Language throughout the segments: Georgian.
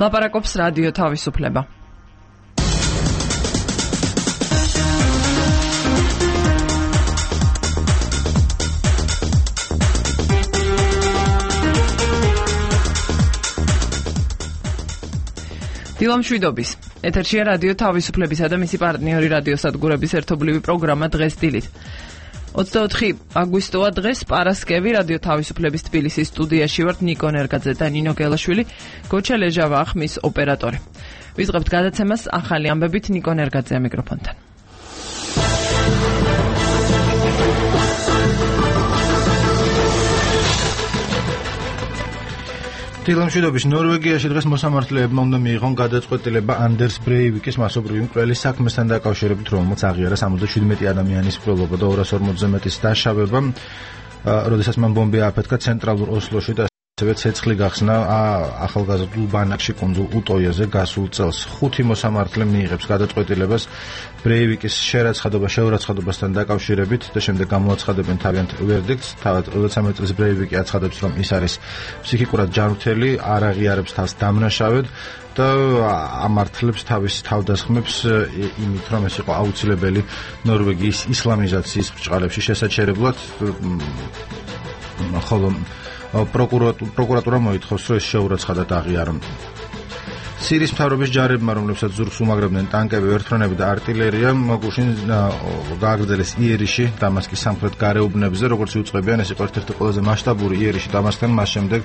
ლაპარაკობს რადიო თავისუფლება. დილამშვიდობის. ეთერშია რადიო თავისუფლებისა და მისი პარტნიორი რადიოსადგურების ერთობლივი პროგრამა დღეს დილით. 24 აგვისტოა დღეს პარასკევი რადიო თავისუფლების თბილისის სტუდიაში ვართ ნიკო ნერგაძე და ნინო გელაშვილი, გოჩა ლეჟავა ახმის ოპერატორი. ვიწყებთ გადაცემას ახალი ამბებით ნიკო ნერგაძე მიკროფონთან. დილამშვიდობის. ნორვეგიაში დღეს მოსამართლეებმა უნდა მიიღონ გადაწყვეტილება ანდერს ბრეივიკის მასობრივი მკვლელის საქმესთან დაკავშირებით, რომელმაც აღიარა 77 ადამიანის მკვლელობა და 240-ზე მეტის დაშავება, როდესაც მან ბომბი ააფეთქა ცენტრალურ ოსლოში და ასევე ცეცხლი გახსნა ახალგაზრდულ ბანაკში კუნძულ უტოიაზე გასულ წელს. 5 მოსამართლე მიიღებს გადაწყვეტილებას ბრეივიკის შეურაცხყოფასთან დაკავშირებით და შემდეგ გამოაცხადებენ თავიანთ ვერდიქტს. თავად 23 წლის ბრეივიკი აცხადებს, რომ ის არის ფსიქიკურად ჯანმრთელი, არ აღიარებს თავს დამნაშავედ და ამართლებს თავის თავდასხმებს იმით, რომ ეს იყო აუცილებელი ნორვეგიის ისლამიზაციის ბრჭყალებში შესაჩერებლად, ხოლო პროკურატურა მოითხოვს, რომ ეს შეურაცხადად აღიარონ. სირიის მთავრობის ჯარებმა, რომლებსაც ზურგს უმაგრებდნენ ტანკები, ვერტმფრენები და არტილერია, გუშინ გააგრძელეს იერიში, დამასკის სამხრეთ გარეუბნებზე, როგორც იუწყებიან, ეს იყო ერთ-ერთი ყველაზე მასშტაბური იერიში დამასკთან, მას შემდეგ,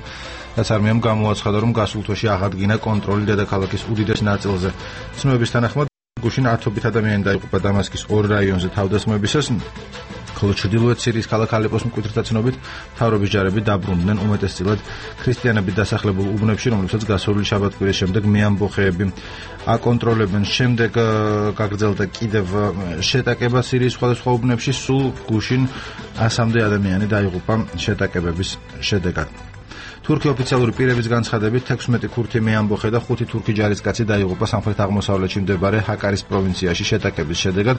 რაც არმიამ გამოაცხადა, რომ გასულ თვეში აღადგინა კონტროლი დედაქალაქის უდიდეს ნაწილზე. ცნობების თანახმად, გუშინ 10 ადამიანი დაიღუპა დამასკის 2 რაიონზე თავდასხმებისას, ხოლო ჩრდილოეთ სირიის ქალაქ ალეპოს მკვიდრთა ცნობით, მთავრობის ჯარები დაბრუნდნენ უმეტესწილად ქრისტიანებით დასახლებულ უბნებში, რომლებსაც გასული შაბათ-კვირის შემდეგ მეამბოხეები აკონტროლებენ. შემდეგ გაგრძელდა კიდევ შეტაკება სირიის სხვადასხვა უბნებში, სულ გუშინ 100-მდე ადამიანი დაიღუპა შეტაკებების შედეგად. თურქი ოფიციალური პირების განცხადებით 16 ქურთი მეამბოხე და 5 თურქი ჯარისკაცი დაიღუპა სამხრეთ-აღმოსავლეთში მდებარე ჰაკარის პროვინციაში შეტაკების შედეგად.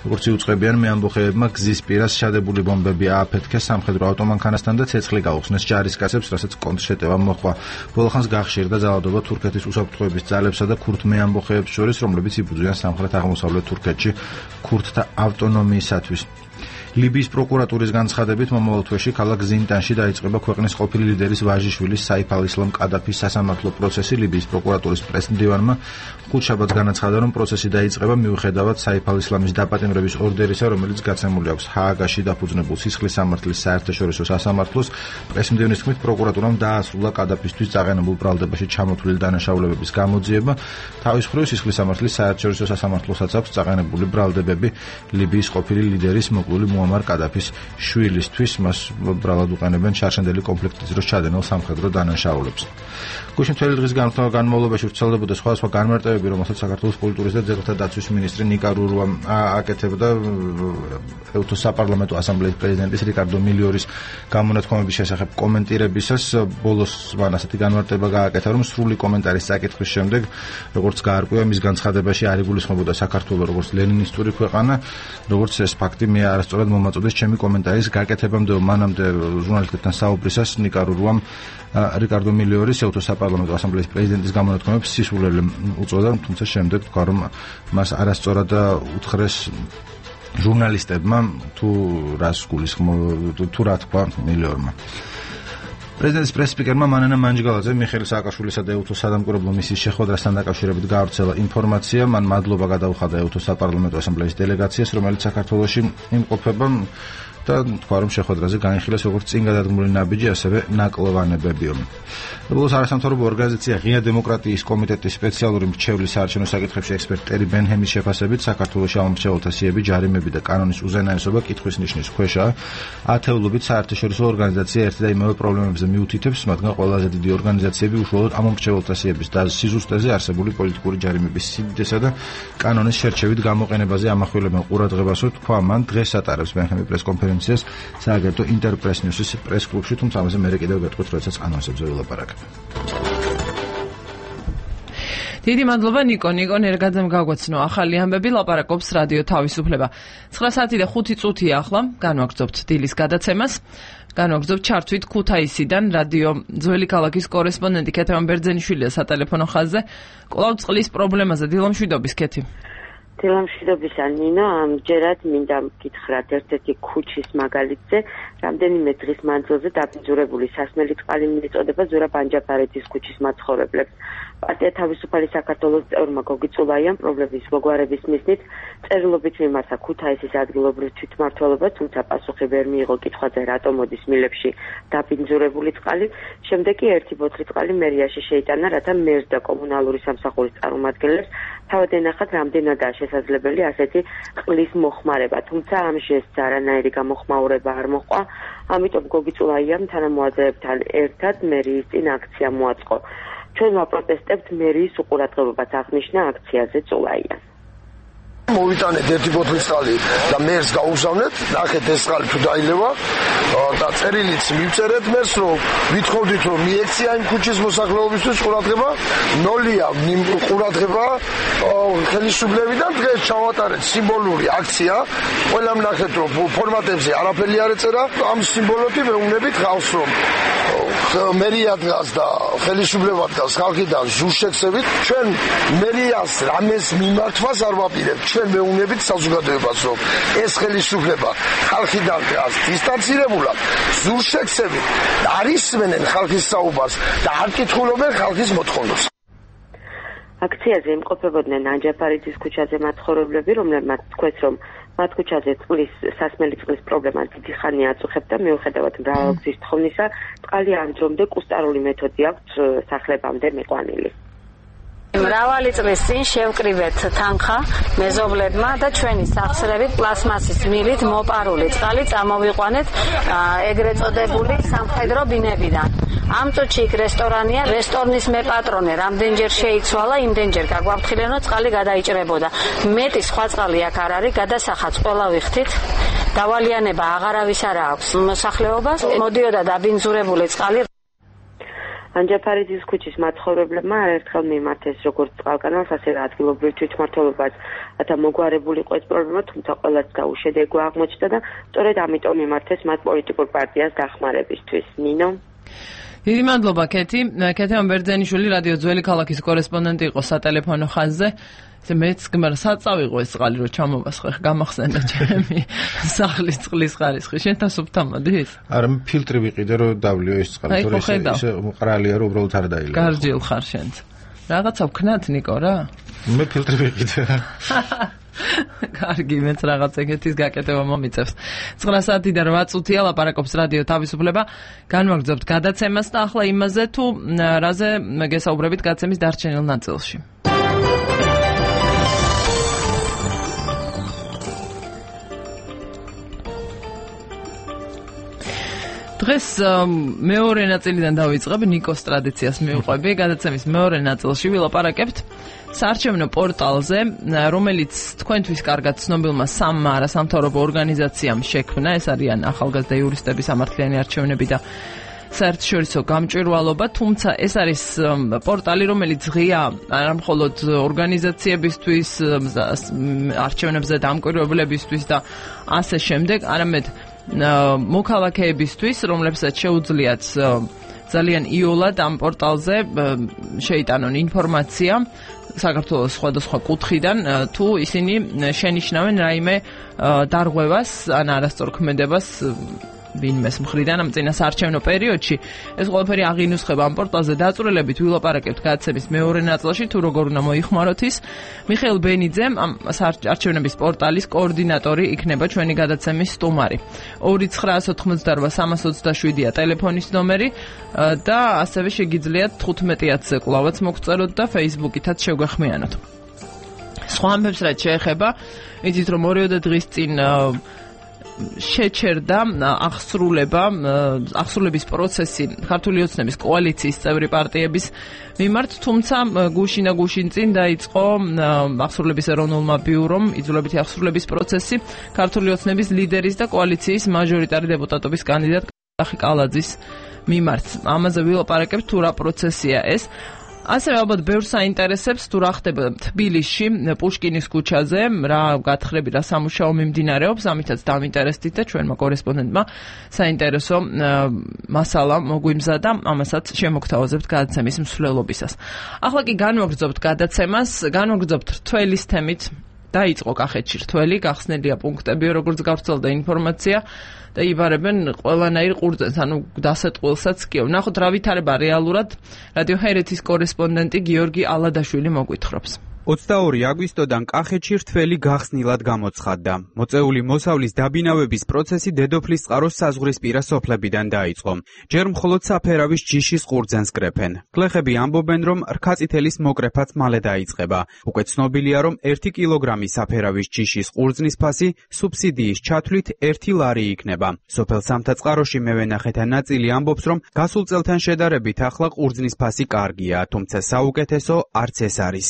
როგორც იუწყებიან, მეამბოხეებმა გზის პირას შადებული ბომბები ააფეთქეს სამხედრო ავტომანქანასთან და ცეცხლი გაუხსნეს ჯარისკაცებს, რასაც კონტრშეტევა მოჰყვა. ბოლოხანს გახშირდა ძალადობა თურქეთის უსაფრთხოების ძალებსა და ქურთ მეამბოხეებს შორის, რომლებიც იბრძვიან სამხრეთ-აღმოსავლეთ თურქეთში ქურთთა ავტონომიისათვის. ლიბიის პროკურატურის განცხადებით, მომავალ თვეში ქალაქ ზინტანში დაიწყება ქვეყნის ყოფილი ლიდერის ვაჟიშვილის საიფ ალ-ისლამ კადაფის სასამართლო პროცესი. ლიბიის პროკურატურის პრეზიდენტმა ხუთშაბათს განაცხადა, რომ პროცესი დაიწყება მიუხედავად საიფ ალ-ისლამის დაპატიმრების ორდერისა, რომელიც გაცემული აქვს ჰააგაში დაფუძნებულ სისხლის სამართლის საერთაშორისო სასამართლოს. პრეზიდენტის თქმით, პროკურატურამ დაასრულა კადაფისთვის წაყენებულ ბრალდებაში ჩამოთვლილი დანაშაულებების გამოძიება. თავის მხრივ სისხლის სამართლის საერთაშორისო სასამართლოსაც აქვს წაყენებული ბრალდებები ლიბიის ყოფილი ლიდერის მოკლული მუამარ კადაფის შვილისთვის. მას ბრალად უყენებენ შარშანდელი კონფლიქტის დროს ჩადენილ სამხედრო დანაშაულებს. გუშინ მთელი დღის განმავლობაში ვრცელდებოდა სხვადასხვა განმარტებები, რომელსაც საქართველოს კულტურის და ძეგლთა დაცვის მინისტრი ნიკა რურუა აკეთებდა ეუთოს საპარლამენტო ასამბლეის პრეზიდენტის რიკარდო მილიორის გამონათქვამების შესახებ კომენტირებისას. ბოლოს მან ასეთი განმარტება გააკეთა, რომ სრული კომენტარის წაკითხვის შემდეგ, როგორც გაარკვევა, მის განცხადებაში არ იგულისხმებოდა საქართველოს როგორც ლენინისტური ქვეყანა, როგორც ეს ფაქტი მე არასწორად მომაწოდეს ჩემი კომენტარის გაკეთებამდე. მანამდე ჟურნალისტებთან საუბრისას ნიკა რურუამ რიკარდო მილიორის ეუთოს საპარლამენტო ასამბლეის პრეზიდენტის გამონათქვამებს სისულელი უწოდა, თუმცა შემდეგ თქვა, რომ მას არასწორად უთხრეს ჟურნალისტებმა თუ რა თქვა მილიორმა. პრეზიდენტის პრეს-სპიკერმა მანანა მანჯგალაძე მიხეილ სააკაშვილისა და ეუთოს სადამკვირვებლო მისიის შეხვედრასთან დაკავშირებით გაავრცელა ინფორმაცია. მან მადლობა გადაუხადა ეუთოს საპარლამენტო ასამბლეის დელეგაციას, რომელიც საქართველოში იმყოფება და თქვა, რომ შეხვედრაზე განიხილეს როგორც წინ გადადგმული ნაბიჯი, ასევე ნაკლოვანებებიო. ბოლოს არასამთავრობო ორგანიზაცია ღია დემოკრატიის კომიტეტის სპეციალური მრჩევლის საარჩევნო საკითხებში ექსპერტ ტერი ბენჰემის შეფასებით, საქართველოში ამომრჩეველთა სიები, ჯარიმები და კანონის უზენაესობა კითხვის ნიშნის ქვეშაა. ათეულობით საერთაშორისო ორგანიზაცია ერთი და იმავე პრობლემებზე მიუთითებს, მათგან ყველაზე დიდი ორგანიზაციები უშუალოდ ამომრჩეველთა სიების და სიზუსტეზე არსებული პოლიტიკური ჯარიმების სიდიდესა და კანონის შერჩევით გამოყენებაზე ამახვილებენ ყურადღებას. თქვა მან დღეს ატარებს ბენჰემი პრეს-კონფერენციას სააგენტო ინტერპრეს ნიუსის პრეს-კლუბში, თუმცა ამაზე მე კიდევ გეტყვით, როდესაც ანონსებზე ვილაპარაკებ. დიდი მადლობა ნიკო ნერგაძემ გაგვაცნო ახალი ამბები, ლაპარაკობს რადიო თავისუფლება. 9 საათი და 5 წუთია ახლა, განვაგრძობთ დილის გადაცემას. განვაგრძობთ ჩართვით ქუთაისიდან რადიო ძველი ქალაქის კორესპონდენტი ქეთევან ბერძენიშვილია სატელეფონო ხაზზე. კვლავ წყლის პრობლემაზე დილამშვიდობის ქეთი. დილამშვიდობისა ნინო, ამჯერად მინდა გითხრათ ერთ-ერთი ქუჩის მაგალითზე, რამდენიმე დღის მანძილზე დაბინძურებული სასმელი წყალი მიეწოდება ზურაბ ანჯაფარიძის ქუჩის მაცხოვრებლებს. პარტია თავისუფალი საქართველოს წევრმა გოგი წულაიამ პრობლემის მოგვარების მიზნით წერილობით მიმართა ქუთაისის ადგილობრივ თვითმმართველობას, თუმცა პასუხი ვერ მიიღო კითხვაზე, რატომ მოდის მილებში დაბინძურებული წყალი. შემდეგ კი ერთი ბოთლი წყალი მერიაში შეიტანა, რათა მერს და კომუნალური სამსახურის წარმომადგენლებს თავად ენახათ, რამდენადაა შესაძლებელი ასეთი წყლის მოხმარება. თუმცა ამ ჟესტს არანაირი გამოხმაურება არ მოჰყვა, ამიტომ გოგი წულაიამ თანამოაზრეებთან ერთად მერიის წინ აქცია მოაწყო. ჩვენმა პროტესტებთ მერიის უყურადღებობას აღნიშნა აქციაზე წულაია. მოვიტანეთ ერთი ბოთლი წყალი და მერს გაუგზავნეთ, ნახეთ ეს წყალი თუ დაილევა და წერილიც მივწერეთ მერს, რომ ვითხოვდით, რომ მიექცია იმ ქუჩის მოსახლეობისთვის ყურადღება, ნოლია ყურადღება ხელისუფლებიდან. დღეს ჩავატარეთ სიმბოლური აქცია, ყველამ ნახეთ, რომ ფორმატებზე არაფერი არ ეწერა, ამ სიმბოლოთი მეუბნებით ხალხს, რომ მერია დგას და ხელისუფლება დგას ხალხიდან ზურშექსებით. ჩვენ მერიას რამეს მიმართვას არ ვაპირებთ. ჩვენ მეუბნებით საზოგადოებას, რომ ეს ხელისუფლება ხალხიდან დგას დისტანცირებულად, ზურშექსებით, არ ისმენენ ხალხის საუბარს და არ კითხულობენ ხალხის მოთხოვნებს. აქციაზე იმყოფებოდნენ ანჯაფარიძის ქუჩაზე მაცხოვრებლები, რომლებმაც თქვეს, რომ მათ ქუჩაზე სასმელი წყლის პრობლემა დიდი ხანია აწუხებდა, მიუხედავად მრავალგზის თხოვნისა, წყალი ამჯერადე კუსტარული მეთოდი აქვს სახლებამდე მიყვანილი. მრავალი წლის წინ შევკრივეთ თანხა მეზობლებმა და ჩვენი სახსრებით პლასმასის მილით მოპარული წყალი წამოვიყვანეთ ეგრეთ წოდებული სამხედრო ბინებიდან. ამ წუთში იქ რესტორანია, რესტორნის მეპატრონე რამდენჯერ შეიცვალა, იმდენჯერ გაგვაფრთხილენ, რომ წყალი გადაიჭრებოდა. მეტი სხვა წყალი აქ არ არის, გადასახადს ყველა ვიხდით. დავალიანება აღარავის არ აქვს მოსახლეობას, მოდიოდა დაბინძურებული წყალი. ანჯაფარიძის ქუჩის მაცხოვრებლებმა არაერთხელ მიმართეს როგორც წყალკანალს, ასევე ადგილობრივ თვითმმართველობას, რათა მოგვარებულიყო ეს პრობლემა, თუმცა ყველას გაუშედეგო აღმოჩნდა და სწორედ ამიტომ მიმართეს მათ პოლიტიკურ პარტიას დახმარებისთვის. ნინო. დიდი მადლობა ქეთი. ქეთევან ბერძენიშვილი რადიო ძველი ქალაქის კორესპონდენტი იყო სატელეფონო ხაზზე. მეც გმარ საწავიღო ეს წყალი რომ ჩამოვასხე, გამახსენდა ჩემი სახლის წყლის ხარისხი. შენ თასობთ ამოდის? არა, ფილტრი ვიყიდე რომ დავლიო ეს წყალი, თორე ისე მყრალია რომ უბრალოდ არ დაილევა. გარჯილ ხარ შენც. რაღაცა ვქნათ ნიკო რა? მე ფილტრი ვიყიდე. კარგი, მეც რაღაც ეგეთის გაკეთება მომიწევს. 9 საათი და 8 წუთია ლაპარაკობს რადიო თავისუფლება. განვაგრძობთ გადაცემას და ახლა იმაზე თუ რაზე გესაუბრებით გადაცემის დარჩენილ ნაწილში. დღეს მეორე ნაწილიდან დავიწყებ, ნიკოს ტრადიციას მივყვები. გადაცემის მეორე ნაწილში ვილაპარაკებთ საარჩევნო პორტალზე, რომელიც თქვენთვის კარგად ცნობილმა სამმა არასამთავრობო ორგანიზაციამ შექმნა. ეს არიან ახალგაზრდა იურისტების სამართლიანი არჩევნები და საერთაშორისო გამჭვირვალობა, თუმცა ეს არის პორტალი, რომელიც ღია არა მხოლოდ ორგანიზაციებისთვის, არჩევნებზე დამკვირვებლებისთვის და ასე შემდეგ, არამედ მოქალაქეებისთვის, რომლებსაც შეუძლიათ ძალიან იოლად ამ პორტალზე შეიტანონ ინფორმაცია საქართველოს სხვადასხვა კუთხიდან, თუ ისინი შენიშნავენ რაიმე დარღვევას ან არასწორქმედებას ვინმეს მხრიდან ამ წინა საარჩევნო პერიოდში. ეს ყველაფერი აღინუსხება ამ პორტალზე დაწვრილებით. ვილაპარაკებთ გადაცემის მეორე ნაწილში, თუ როგორ უნდა მოიხმაროთ ის. მიხეილ ბენიძე, ამ საარჩევნების პორტალის კოორდინატორი, იქნება ჩვენი გადაცემის სტუმარი. 2988327-ია ტელეფონის ნომერი და ასევე შეგიძლიათ 15-ზე კლავაც მოგწეროთ და Facebook-ითაც შევგახმიანოთ. სხვა ამბებს რაც შეეხება, იცით რომ 2 დღის წინ შეჩერდა აღსრულების პროცესი ქართული ოცნების კოალიციის წევრი პარტიების მიმართ, თუმცა გუშინ წინ დაიწყო აღსრულების ეროვნულმა ბიურომ იძულებითი აღსრულების პროცესი ქართული ოცნების ლიდერის და კოალიციის მაჟორიტარი დეპუტატობის კანდიდატ კალაძის მიმართ. ამაზე ვილაპარაკებთ თუ რა პროცესია ეს. ასევე ალბათ ბევრს საინტერესებს თუ რა ხდება თბილისში პუშკინის ქუჩაზე, რა გათხრები, რა სამუშაო მიმდინარეობს, ამითაც დავინტერესდით და ჩვენმა კორესპონდენტმა საინტერესო მასალა მოგვიმზადა, ამასაც შემოგთავაზებთ გადაცემის მსვლელობისას. ახლა კი განვაგრძობთ გადაცემას, განვაგრძობთ რთველის თემით. დაიწყო კახეთში რთველი, გახსნილია პუნქტები, როგორც გავრცელდა ინფორმაცია და იბარებენ ყველანაირ ყურძენს, ანუ დასეტყველსაც კი. ნახოთ რა ვითარება რეალურად. რადიო ჰერეთის კორესპონდენტი გიორგი ალადაშვილი მოგვითხრობს. 22 აგვისტოდან კახეთში რთველი გახსნილად გამოცხადდა. მოწეული მოსავლის დაბინავების პროცესი დედოფლის წყაროს საზღვრისპირა სოფლებიდან დაიწყო. ჯერ მხოლოდ საფერავის ჯიშის ყურძენს კრეფენ. გლეხები ამბობენ, რომ რქაწითელის მოკრეფაც მალე დაიწყება. უკვე ცნობილია, რომ 1 კილოგრამი საფერავის ჯიშის ყურძნის ფასი სუბსიდიის ჩათვლით 1 ლარი იქნება. სოფელ სამთაწყაროში მევენახეთა ნაწილი ამბობს, რომ გასულ წელთან შედარებით ახლა ყურძნის ფასი კარგია, თუმცა საუკეთესო არც ეს არის.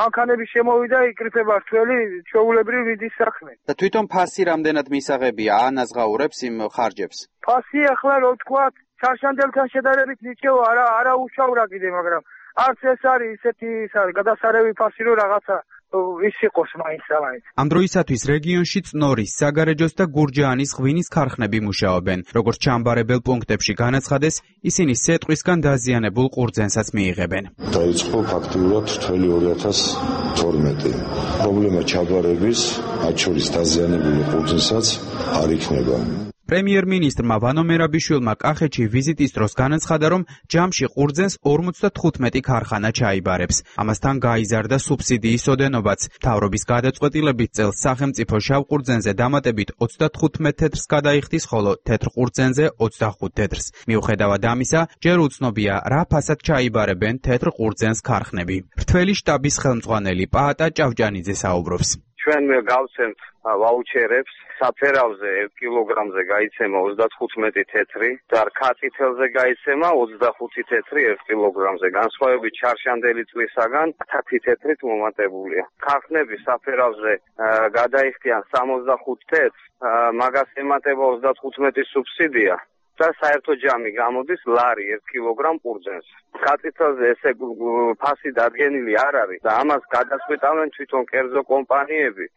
ანქანები შემოვიდა, იკრიფება რთველი, ჩვეულებრივ ვიდის საქმე. და თვითონ ფასი რამდენად მისაღებია, ანაზღაურებს იმ ხარჯებს? ფასი ახლა რო თქვა, ჩარშანდელთან შედარებით ნიჭიო არა უშავრა კიდე, მაგრამ არც ეს არის ისეთი გადასარევი ფასი, რომ რაღაცა ის იყოს მაინც. ამ დროისათვის რეგიონში წნორის, საგარეჯოს და გურჯაანის ღვინის ქარხნები მუშაობენ. როგორც ჩამბარებელ პუნქტებში განაცხადეს, ისინი სეტყვისგან დაზიანებულ ყურძენსაც მიიღებენ. დაიწყო ფაქტიურად რთველი 2012. პრობლემა ჩაბარების, მათ შორის დაზიანებული ყურძენსაც არ იქნება. პრემიერ-მინისტრმა ვანო მერაბიშვილმა კახეთში ვიზიტის დროს განაცხადა, რომ ჯამში ყურძენს 45 ქარხანა ჩაიბარებს. ამასთან გაიზარდა სუბსიდიის ოდენობაც. მთავრობის გადაწყვეტილებით წელს სახელმწიფო შავ ყურძენზე დამატებით 35 თეთრს გადაიხდის, ხოლო თეთრ ყურძენზე 25 თეთრს. მიუხედავად ამისა, ჯერ უცნობია, რა ფასად ჩაიბარებენ თეთრ ყურძენს ქარხნები. რთველი შტაბის ხელმძღვანელი პაატა ჭავჭანიძე საუბრობს. ჩვენ გავცემთ ვაუჩერებს, საფერავზე 1 კილოგრამზე გაიცემა 35 თეთრი და რქაწითელზე გაიცემა 25 თეთრი 1 კილოგრამზე. განსხვავებით ჩარშანდელი წლისაგან 10 თეთრით მომატებულია. ქარხნები საფერავზე გადაიხდიან 65 თეთრს, მაგას ემატება 35 სუბსიდია და საერთო ჯამი გამოდის ლარი 1 კილოგრამ ყურძენს. ქაწითელზე ესე ფასი დადგენილი არ არის და ამას გადაწყვეტავენ თვითონ კერძო კომპანიები.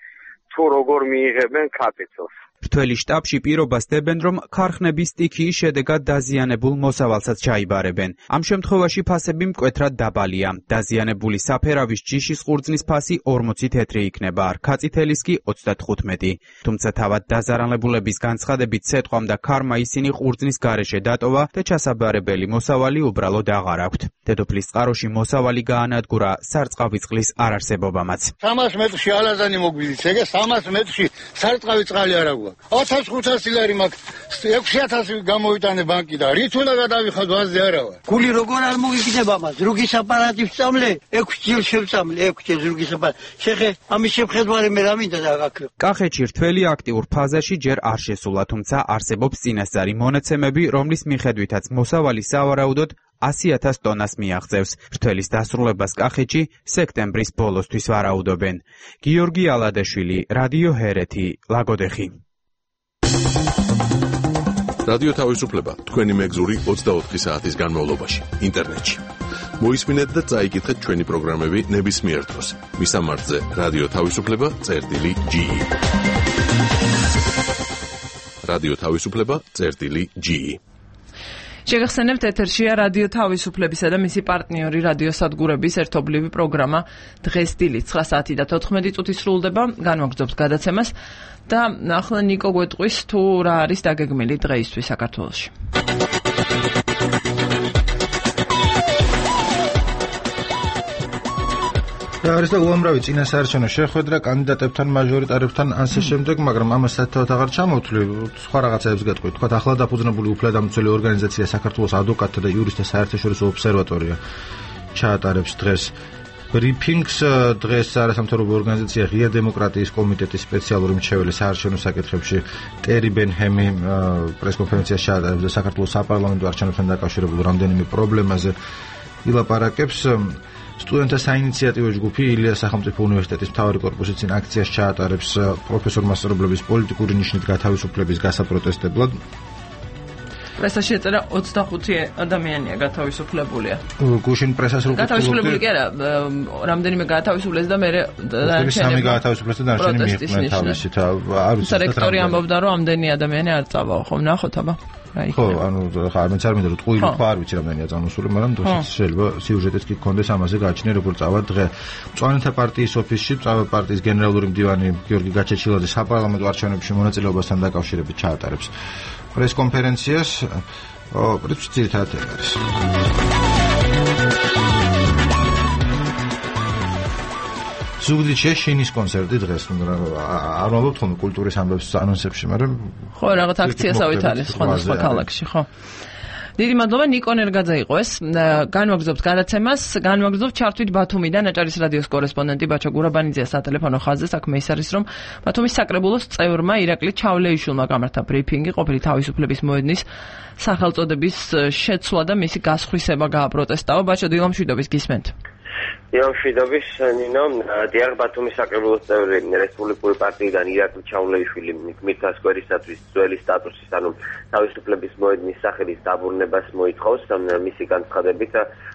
თუ როგორ მიიღებენ ქაწითელს. რთველი შტაბში პირობას დებენ, რომ ქარხნების სტიქიის შედეგად დაზიანებულ მოსავალსაც ჩაიბარებენ. ამ შემთხვევაში ფასები მკვეთრად დაბალია. დაზიანებული საფერავის ჯიშის ყურძნის ფასი 40 თეთრი იქნება, რქაწითელის კი 35. თუმცა თავად დაზარალებულების განცხადებით სეტყვამ და ქარმა ისინი ყურძნის გარეშე დატოვა და ჩასაბარებელი მოსავალი უბრალოდ აღარ აქვთ. დედოფლის წყაროში მოსავალი გაანადგურა სარწყავი წყლის არარსებობამაც. 300 მეტრში ალაზანი მოგვიდით, ეგ 300 მეტრში სარწყავი წყალი არ აქვს. 1500 ლარი მაქვს, 6000 გამოვიტანე ბანკი და რით უნდა გადავიხად ვაზზე არა ვარ. გული როგორ არ მოგიგდება მას? რუგის აპარატი ვწამლე, 6 ჯერ შევწამლე, 6 ჯერ რუგის აპარატი. შეხე, ამის შეხედვარი მე რა მინდა დაგაქრო. კახეთში რთველი აქტიურ ფაზაში ჯერ არ შესულა, თუმცა არსებობს წინასწარი მონაცემები, რომლის მიხედვითაც მოსავალი სავარაუდოდ 100,000 ტონას მიაღწევს. რთველის დასრულებას კახეთში სექტემბრის ბოლოსთვის ვარაუდობენ. გიორგი ალადაშვილი, რადიო ჰერეთი, ლაგოდეხი. რადიო თავისუფლება თქვენი მეგზური 24 საათის განმავლობაში ინტერნეტში. მოისმინეთ და წაიკითხეთ ჩვენი პროგრამები ნებისმიერ დროს. მისამართზე რადიო თავისუფლება.ge. რადიო თავისუფლება.ge. შეგახსენებთ, ეთერშია რადიო თავისუფლებისა და მისი პარტნიორი რადიო სადგურების ერთობლივი პროგრამა დღეს დილით 9 საათი და 14 წუთი სრულდება. განვაგრძობთ გადაცემას და ახლა ნიკო გვეტყვის თუ რა არის დაგეგმილი დღეისთვის საქართველოში. არის და უამრავი წინასაარჩევნო შეხვედრა კანდიდატებთან, მაჟორიტარებთან ასე შემდეგ, მაგრამ ამას საერთოდ აღარ ჩამოვთვლი. სხვა რაღაცებს გეტყვით. თქვათ, ახლა დაფუძნებული უფლებადამცველი ორგანიზაცია საქართველოს ადვოკატთა და იურისტთა საერთაშორისო ობსერვატორია ჩაატარებს დღეს ბრიფინგს. დღეს არასამთავრობო ორგანიზაცია ღია დემოკრატიის კომიტეტის სპეციალური მრჩეველი საარჩევნო საკითხებში ტერი ბენჰემი პრესკონფერენციას ჩაატარებს და საქართველოს საპარლამენტო არჩევნებთან დაკავშირებულ რამდენიმე პრობლემაზე ილაპარაკებს. სტუდენტთა საინიციატივო ჯგუფი ილიას სახელმწიფო უნივერსიტეტის მთავარი კორპუსის წინ აქციას ჩაატარებს პროფესორ მასწავლებლების პოლიტიკური ნიშნით გათავისუფლების გასაპროტესტებლად. პრესაში ეწერა 25 ადამიანია გათავისუფლებულია. გუშინ პრესას რო გათავისუფლებული კი არა, რამდენიმე გათავისუფლეს და მე სამი გათავისუფლეს და დარჩენი მიიყვნენ თავისით. არ ვიცი. რექტორი ამბობდა რომ ამდენი ადამიანი არ წავაო, ხო, ნახოთ აბა. ხო, ანუ ხა არ მეცარმენდა რომ ტყუილი ხო არ ვიცი რამდენია წამოსული, მაგრამ შეიძლება სიუჟეტიც კი გქონდეს ამაზე გააჩნია როგორ წავა დღე. მწვანეთა პარტიის ოფისში წავა პარტიის გენერალური მდივანი გიორგი გაჩეჩილაძე საპარლამენტო არჩევნებში მონაწილეობასთან დაკავშირებით ჩაატარებს პრესკონფერენციას. პრინციპი ძირითადად არის. ზუგდიდში შეინის კონცერტი დღეს არ ვამბობთ ხოლმე კულტურის ამბებს ანონსებში, მაგრამ ხო რაღაც აქციასავით არის სხვა ქალაქში, ხო. დიდი მადლობა ნიკო ნერგაძე იყო ეს. განვაგრძობთ გადაცემას, განვაგრძობთ ჩართვით ბათუმიდან აჭარის რადიოს კორესპონდენტი ბაჩა გურაბანიძე სატელეფონო ხაზზე საქმე ის არის რომ ბათუმის საკრებულოს წევრმა ირაკლი ჩავლეიშვილმა გამართა ბრიფინგი ყოფილი თავისუფლების მოედნის სახელწოდების შეცვლა და მისი გასხვისება გააპროტესტაო. ბაჩა დილამშვიდობის გისმენთ. დილამშვიდობის ნინო, დიახ ბათუმის საკრებულოს წევრი რესპუბლიკური პარტიიდან ირაკლი ჩავლეიშვილი გმირთა სკვერისათვის ძველი სტატუსის, ანუ თავისუფლების მოედნის სახელის დაბრუნებას მოითხოვს. მისი განცხადებით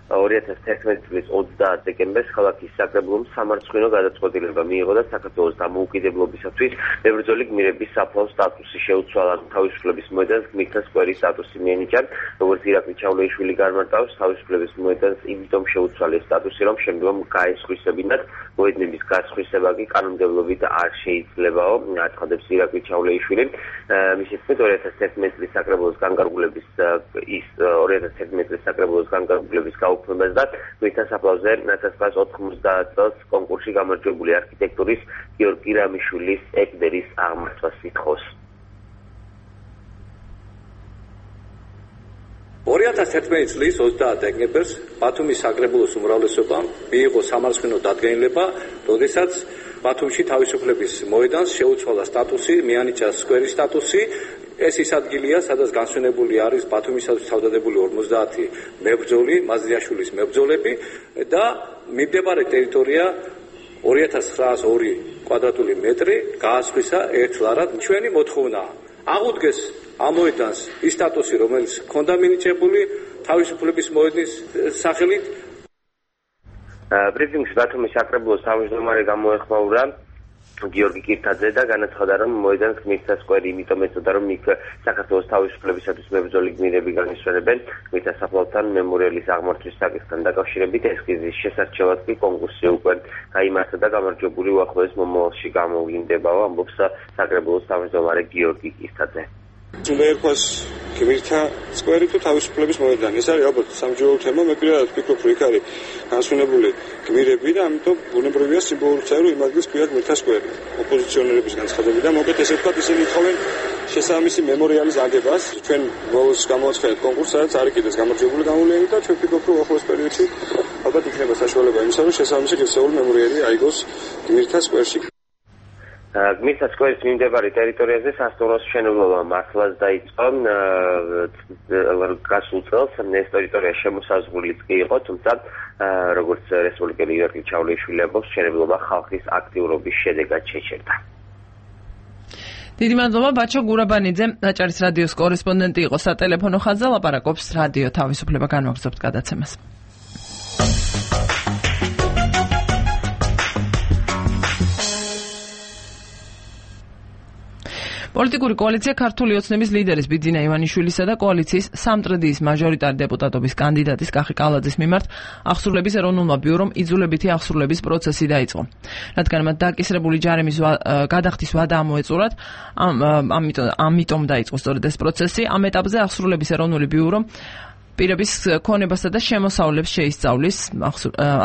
2011 წლის 30 დეკემბერს ქალაქის საკრებულომ სამარცხვინო გადაწყვეტილება მიიღო და საქართველოს დამოუკიდებლობისათვის მებრძოლი გმირების საფლავ სტატუსი შეუცვალა. თავისუფლების მოედანს გმირთა სკვერის სტატუსი მიენიჭა. როგორც ირაკლი ჩავლეიშვილი განმარტავს, თავისუფლების მოედანს იმიტომ შეუცვალეს სტატუსი, რომ შემდგომ გაესხვისებინათ მოედნების გასხვისება კი კანონმდებლობით არ შეიძლებაო, აცხადებს ირაკლი ჩავლეიშვილი. მისი თქმით 2011 წლის საკრებულოს განკარგულების გაუქმებას და გმირთა საფლავზე 1990 წელს კონკურსში გამარჯვებული არქიტექტურის გიორგი რამიშვილის ეკვდერის აღმართვას ითხოვს. 2011 წლის 30 დეკემბერს ბათუმის საკრებულოს უმრავლესობამ მიიღო სამარცხვინო დადგენილება, როდესაც ბათუმში თავისუფლების მოედანს შეუცვალა სტატუსი, მიანიჭა სკვერის სტატუსი. ეს ის ადგილია, სადაც განსვენებული არის ბათუმისათვის თავდადებული 50 მებრძოლი, მაზრიაშვილის მებრძოლები და მიმდებარე ტერიტორია 2902 კვადრატული მეტრი გაასხვისა ერთლარად. ჩვენი მოთხოვნაა აღუდგეს ამ მოედანს ის სტატუსი, რომელიც ჰქონდა მინიჭებული თავისუფლების მოედნის სახელით. ბრიფინგში ბათუმის საკრებულოს თავმჯდომარე გამოეხმაურა გიორგი კირთაძე და განაცხადა, რომ მოედანს გმირთა სკვერი იმიტომ ეწოდა, რომ იქ საქართველოს თავისუფლებისათვის მებრძოლი გმირები განისვენებენ. გმირთა საფლავთან მემორიალის აღმართვის საკითხთან დაკავშირებით ესკიზის შესარჩევად კი კონკურსი უკვე გაიმართა და გამარჯვებული უახლოეს მომავალში გამოვლინდებაო, ამბობს საკრებულოს თავმჯდომარე გიორგი კირთაძე. უნდა ერქვას გმირთა სკვერი თუ თავისუფლების მოედანი. ეს არის ალბათ სამჯერაო თემა, მე პირადად ვფიქრობ, რომ იქ არის განსვენებული გმირები და ამიტომ ბუნებრივია სიმბოლური წერო იმ ადგილს ქვია გმირთა სკვერი. ოპოზიციონერების განცხადები და მოკეთ ესე ვთქვათ, ისინი ითხოვენ შესაბამისი მემორიალის აგებას. ჩვენ ბოლოს გამოვაცხადეთ კონკურსს, სადაც არის კიდეც გამარჯვებული გამოვლენილი და ჩვენ ვფიქრობ, რომ ახლოს პერიოდში ალბათ იქნება საშუალება იმისა, რომ შესაბამისი ღირსეული მემორიალი აიგოს გმირთა სკვერში. გმირთა სკვერის მიმდებარე ტერიტორიაზე სასტუმროს მშენებლობა მართლაც დაიწყო. გასულ წელს ეს ტერიტორია შემოსაზღვრილიც კი იყო, თუმცა როგორც რესპუბლიკელი ირაკლი ჩავლეიშვილი ამბობს, მშენებლობა ხალხის აქტიურობის შედეგად შეჩერდა. დიდი მადლობა ბაჩა გურაბანიძე, აჭარის რადიოს კორესპონდენტი იყო სატელეფონო ხაზზე, ლაპარაკობს რადიო თავისუფლება. განვაგრძობთ გადაცემას. პოლიტიკური კოალიცია ქართული ოცნების ლიდერის ბიძინა ივანიშვილისა და კოალიციის სამტრედიის მაჟორიტარი დეპუტატობის კანდიდატის კახი კალაძის მიმართ აღსრულების ეროვნულმა ბიურომ იძულებითი აღსრულების პროცესი დაიწყო. რადგან მათ დაკისრებული ჯარიმის გადახდის ვადა ამოეწურათ, ამიტომ დაიწყო სწორედ ეს პროცესი. ამ ეტაპზე აღსრულების ეროვნული ბიურო პირების ქონებასა და შემოსავლებს შეისწავლის,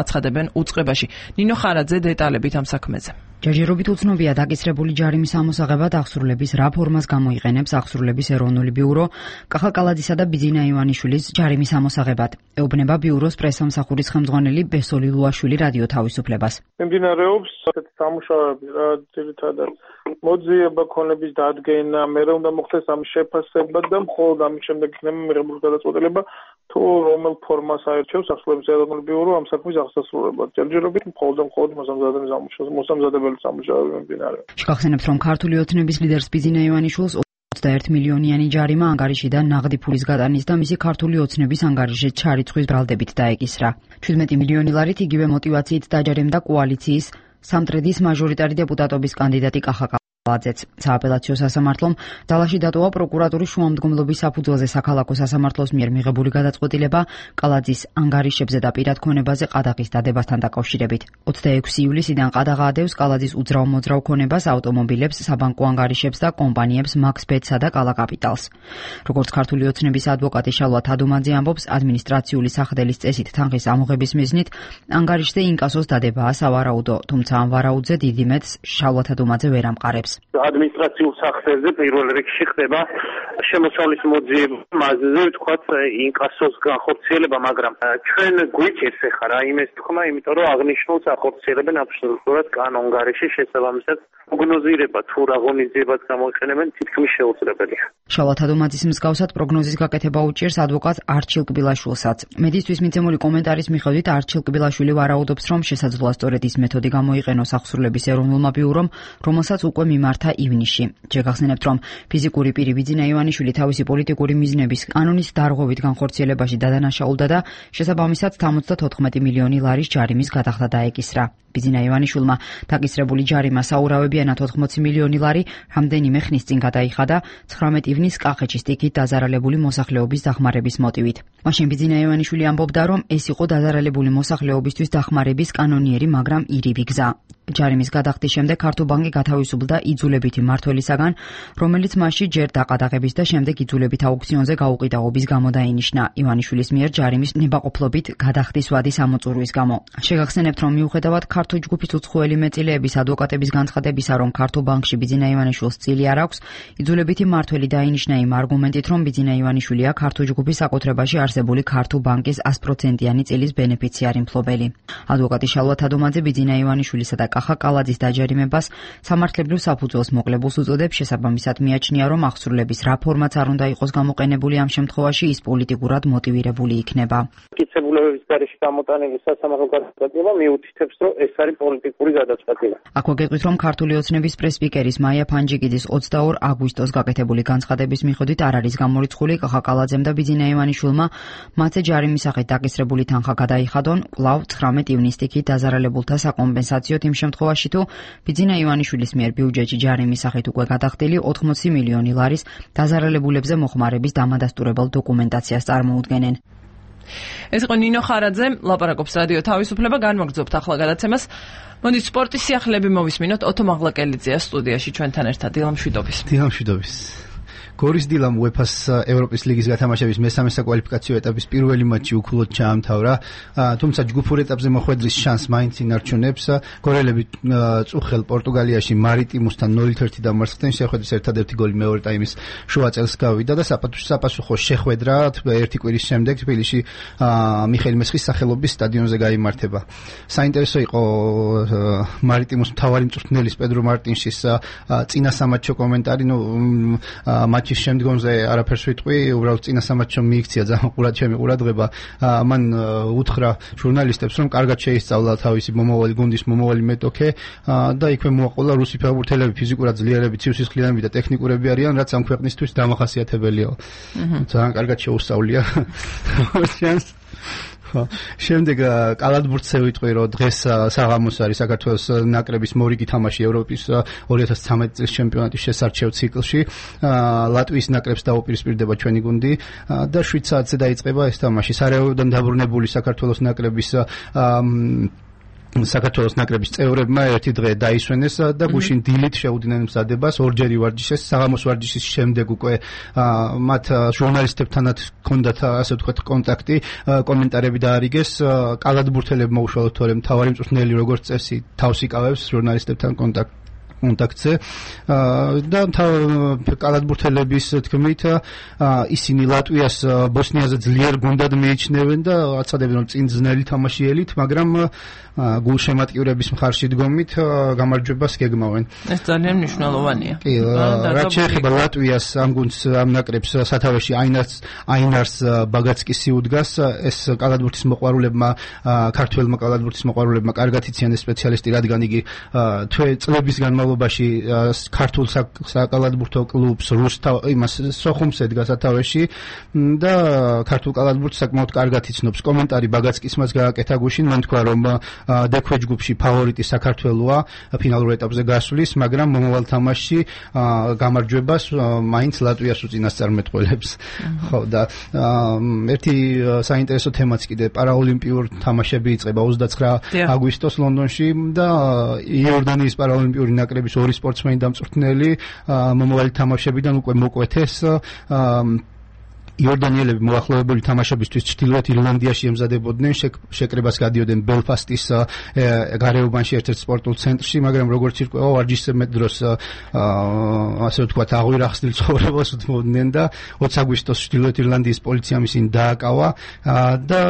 აცხადებენ უწყებაში. ნინო ხარაძე დეტალებით ამ საქმეზე. ჯერჯერობით უცნობია დაკისრებული ჯარიმის ამოსაღებად აღსრულების რა ფორმას გამოიყენებს აღსრულების ეროვნული ბიურო კახა კალაძისა და ბიძინა ივანიშვილის ჯარიმის ამოსაღებად. ეუბნება ბიუროს პრესსამსახურის ხელმძღვანელი ბესოლი ლუაშვილი რადიო თავისუფლებას. მიმდინარეობს სამუშაოები, რა ძირითადად მოძიება ქონების დადგენა, მერე უნდა მოხდეს ამის შეფასება და მხოლოდ ამის შემდეგ იქნება მიღებული გადაწყვეტილება თუ რომელ ფორმას აერჩევს აღსრულების ეროვნული ბიურო ამ საქმის აღსასრულებლად. ჯერჯერობით მხოლოდ მოსამზადებელი სამუშაოები მიმდინარეობს. შეგახსენებთ, რომ ქართული ოცნების ლიდერს ბიძინა ივანიშვილს 21 მილიონიანი ჯარიმა ანგარიშიდან ნაღდი ფულის გატანის და მისი ქართული ოცნების ანგარიშზე ჩარიცხვის ბრალდებით დაეკისრა. 17 მილიონი ლარით იგივე მოტივაციით დაჯერემდა კოალიციის სამტრედის მაჟორიტარი დეპუტატობის კანდიდატი კახა კალაძეც. სააპელაციო სასამართლომ დალაში დატოვა პროკურატურის შუამდგომლობის საფუძველზე საქალაქო სასამართლოს მიერ მიღებული გადაწყვეტილება კალაძის ანგარიშებზე და პირად ქონებაზე ყადაღის დადებასთან დაკავშირებით. 26 ივლისიდან ყადაღა ადევს კალაძის უძრავ-მოძრავ ქონებას, ავტომობილებს, საბანკო ანგარიშებს და კომპანიებს მაქსბეტსა და კალა კაპიტალს. როგორც ქართული ოცნების ადვოკატი შალვა თადუმაძე ამბობს, ადმინისტრაციული სახდელის წესით თანხის ამოღების მიზნით ანგარიშზე ინკასოს დადებაა სავარაუდო, თუმცა ამ ვარაუდზე დიდი მეტს შალვა თადუმაძე ვერ ამყარებს. ადმინისტრაციულ სახსრებზე პირველ რიგში ხდება შემოსავლის მოძიება, მასზე ვთქვათ ინკასოს განხორციელება, მაგრამ ჩვენ გვიჭირს ახლა რაიმე თქმა, იმიტომ რომ აღნიშნულს ახორციელებენ აბსოლუტურად კანონგარეშე, შესაბამისად პროგნოზირება თუ რა ღონისძიებაც გამოიყენებენ თითქმის შეუძლებელია. შალვა თადუმაძის მსგავსად პროგნოზის გაკეთება უჭირს ადვოკატ არჩილ კბილაშვილსაც. მედისთვის მიცემული კომენტარის მიხედვით არჩილ კბილაშვილი ვარაუდობს, რომ შესაძლოა სწორედ ის მეთოდი გამოიყენოს აღსრულების ეროვნულმა ბიურომ, რომელსაც უკვე მიმართა ივნისში. შეგახსენებთ, რომ ფიზიკური პირი ბიძინა ივანიშვილი თავისი პოლიტიკური მიზნების კანონის დარღვევით განხორციელებაში დადანაშაულდა და შესაბამისად 74 მილიონი ლარის ჯარიმის გადახდა დაეკისრა. ბიძინა ივანიშვილმა დაკისრებული ჯარიმა საურავებიანად 80 მილიონი ლარი რამდენიმე ხნის წინ გადაიხადა 19 ივნის კახეთში სტიქით დაზარალებული მოსახლეობის დახმარების მოტივით. მაშინ ბიძინა ივანიშვილი ამბობდა, რომ ეს იყო დაზარალებული მოსახლეობისთვის დახმარების კანონიერი, მაგრამ ირიბი გზა. ჯარიმის გადახდის შემდეგ ქართუბანკი გათავისუფლდა იძულებითი მმართველისაგან, რომელიც მასში ჯერ დაყადაღების და შემდეგ იძულებით აუქციონზე გაუყიდაობის გამო დაინიშნა. ივანიშვილის მიერ ჯარიმის ნებაყოფლობით გადახდის ვადი სამოწურვის გამო. შეგახსენებთ, რომ მიუხედავად ქართულ ჯგუფის უცხოელი მეტილეების ადვოკატების განცხადებისა, რომ ქართუბანკში ბიძინა ივანიშვილს წილი არ აქვს, იძულებითი მმართველი დაინიშნა იმ არგუმენტით, რომ ბიძინა ივანიშვილია ქართულ ჯგუფის საკუთრებაში არსებული ქართუბანკის 100%-იანი წილის ბენეფიციარი მფლობელი. ადვოკატი შალვა თადუმაძე ბიძინა ივანიშვილისა და კახა კალაძის დაჯერიმებას სამართლებრივ საფუძველს მოკლებულს უწოდებს, შესაბამისად მიაჩნია, რომ აღსრულების რა ფორმაც არ უნდა იყოს გამოყენებული ამ შემთხვევაში, ის პოლიტიკურად მოტივირებული იქნება. მტკიცებულებების გარეშე გამოტანილი სასამართლო გადაწყვეტილება მიუთითებს, რომ ეს არის პოლიტიკური გადაწყვეტილება. აქვე გეტყვით, რომ ქართული ოცნების პრესპიკერის მაია ფანჯიკიძის 22 აგვისტოს გაკეთებული განცხადების მიხედვით არ არის გამორიცხული კახა კალაძემ და ბიძინა ივანიშვილმა მათზე ჯარიმის სახით დაკისრებული თანხა გადაიხადონ კვლავ 19 ივნის სტიქით დაზარალებულთა საკომპენსაციოდ იმ შემთხვევაში, თუ ბიძინა ივანიშვილის მიერ ბიუჯეტში ჯარიმის სახით უკვე გადახდილი 80 მილიონი ლარის დაზარალებულებზე მოხმარების დამადასტურებელ დოკუმენტაციას წარმოუდგენენ. ეს იყო ნინო ხარაძე, ლაპარაკობს რადიო თავისუფლება, განვაგრძობთ ახლა გადაცემას. მოდით სპორტის სიახლეები მოვისმინოთ. ოტო მაღლაკელიძეა სტუდიაში ჩვენთან ერთად. დილამშვიდობის. გორის დილამ UEFA-ს ევროპის ლიგის გათამაშების მესამე საკვალიფიკაციო ეტაპის პირველი მატჩი უქულოდ ჩაამთავრა, თუმცა ჯგუფურ ეტაპზე მოხვედრის შანსს მაინც ინარჩუნებს. გორელები წუხელ პორტუგალიაში მარიტიმუსთან 0-1 დამარცხდნენ, შეხვედრის ერთადერთი გოლი მეორე ტაიმის შუა წელს გავიდა და საპასუხო შეხვედრა ერთი კვირის შემდეგ თბილისში მიხეილ მესხის სახელობის სტადიონზე გაიმართება. საინტერესო იყო მარიტიმუს მთავარი მწვრთნელის პედრო მარტინშის წინა სამატჩო კომენტარი, მატჩის შემდგომზე არაფერს ვიტყვი, უბრალოდ წინა სამატჩო მიიქცია ძალიან ჩემი ყურადღება. მან უთხრა ჟურნალისტებს, რომ კარგად შეისწავლა თავისი მომავალი გუნდის მომავალი მეტოქე და იქვე მოაყოლა რუსი ფეხბურთელები ფიზიკურად ძლიერები, ცივსისხლიანები და ტექნიკურები არიან, რაც ამ ქვეყნისთვის დამახასიათებელია. ძალიან კარგად შეუსწავლია. შემდეგ კალათბურთზე ვიტყვი, რომ დღეს საღამოს არის საქართველოს ნაკრების მორიგი თამაში ევროპის 2013 წლის ჩემპიონატის შესარჩევ ციკლში. ლატვიის ნაკრებს დაუპირისპირდება ჩვენი გუნდი და 7 საათზე დაიწყება ეს თამაში. სარაევოდან დაბრუნებული საქართველოს ნაკრების წევრებმა ერთი დღე დაისვენეს და გუშინ დილით შეუდგნენ მზადებას ორჯერი ვარჯიშეს. საღამოს ვარჯიშის შემდეგ უკვე მათ ჟურნალისტებთანაც ჰქონდათ ასე ვთქვათ კონტაქტი, კომენტარები დაარიგეს. კალათბურთელებმა უშუალოდ თორემ მთავარი მწვრთნელი როგორც წესი თავს იკავებს ჟურნალისტებთან კონტაქტზე და კალათბურთელების თქმით ისინი ლატვიას ბოსნიაზე ძლიერ გუნდად მიიჩნევენ და აცადებენ, რომ წინ ძნელი თამაშიელით, მაგრამ გულშემატკივრების მხარში დგომით გამარჯვებას გეგმავენ. ეს ძალიან მნიშვნელოვანია. კი, რაც შეეხება ლატვიას ამ გუნდს, ამ ნაკრებს სათავეში აინარს ბაგაცკისი უდგას. ეს კალათბურთის მოყვარულებმა, ქართველმა კალათბურთის მოყვარულებმა კარგად იციან ეს სპეციალისტი, რადგან იგი წლების განმავლობაში განმავლობაში ქართულ საკალათბურთო კლუბს იმას სოხუმს ედგა სათავეში და ქართულ კალათბურთს საკმაოდ კარგად იცნობს. კომენტარი ბაგაცკის მას გააკეთა გუშინ, მან თქვა რომ დექვე ჯგუფში ფავორიტი საქართველოა ფინალურ ეტაპზე გასვლის, მაგრამ მომავალ თამაშში გამარჯვებას მაინც ლატვიას უწინასწარმეტყველებს. ხო და ერთი საინტერესო თემაც კიდე პარაოლიმპიურ თამაშები იწყება 29 აგვისტოს ლონდონში და იორდანიის პარაოლიმპიური ნაკრების ორი სპორტსმენი დამწვრთნელი მომავალი თამაშებიდან უკვე მოკვეთეს. იორდანიელები მოახლოებული თამაშებისთვის ჩრდილოეთ ირლანდიაში ემზადებოდნენ, შეკრებას გადიოდნენ ბელფასტის გარეუბანში ერთ-ერთ სპორტულ ცენტრში, მაგრამ როგორც ირკვევა ვარჯიშზე მეტ დროს ასე ვთქვათ აღვირახსნილ ცხოვრებას უთმობდნენ და 20 აგვისტოს ჩრდილოეთ ირლანდიის პოლიციამ ისინი დააკავა და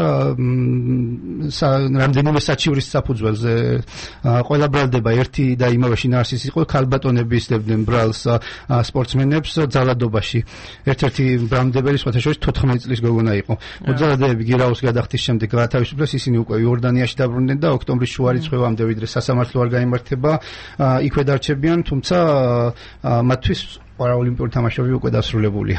რამდენიმე საჩივრის საფუძველზე ყველა ბრალდება ერთი და იმავე შინაარსის იყო, ქალბატონები ისდებდნენ ბრალს სპორტსმენებს ძალადობაში. ერთ-ერთი ბრალმდებელი 14 წლის გოგონა იყო. მოძალადეები გირაოს გადახდის შემდეგ გაათავისუფლეს, ისინი უკვე იორდანიაში დაბრუნდნენ და ოქტომბრის შუა რიცხვებამდე ვიდრე სასამართლო არ გაიმართება, იქვე დარჩებიან, თუმცა მათთვის პარაოლიმპიური თამაშები უკვე დასრულებულია.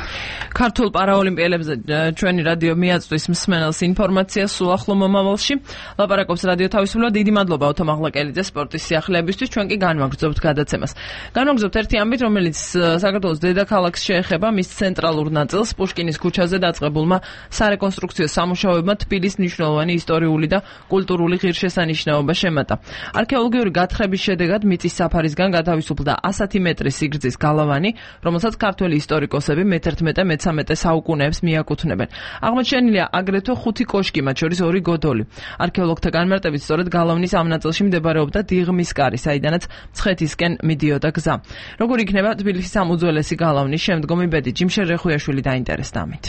ქართულ პარაოლიმპიელებზე ჩვენი რადიო მიაწვდის მსმენელს ინფორმაციას სულ ახლო მომავალში. ლაპარაკობს რადიო თავისუფლება. დიდი მადლობა ოთო მაღლაკელიძე სპორტის სიახლეებისთვის. ჩვენ კი განვაგრძობთ გადაცემას. განვაგრძობთ ერთი ამბით, რომელიც საქართველოს დედაქალაქს შეეხება, მის ცენტრალურ ნაწილს პუშკინის ქუჩაზე დაწყებულმა სარეკონსტრუქციო სამუშაოებმა თბილისის მნიშვნელოვანი ისტორიული და კულტურული ღირსშესანიშნაობა შემატა. არქეოლოგიური გათხრების შედეგად მიწის საფარისგან გათავისუფლდა 100 მეტრის სიგრძის გალავანი, რომელსაც ქართველი ისტორიკოსები მე-11-მე-13 საუკუნეებს მიაკუთვნებენ. აღმოჩენილია აგრეთვე 5 კოშკი, მათ შორის 2 გოდოლი. არქეოლოგთა განმარტებით სწორედ გალავნის ამ ნაწილში მდებარეობდა დიღმის კარი, საიდანაც მცხეთისკენ მიდიოდა გზა. როგორ იქნება თბილისის ამ უძველესი გალავნის შემდგომი ბედი? ჯიმშერ რეხუიაშვილი დაინტერესდა ამით.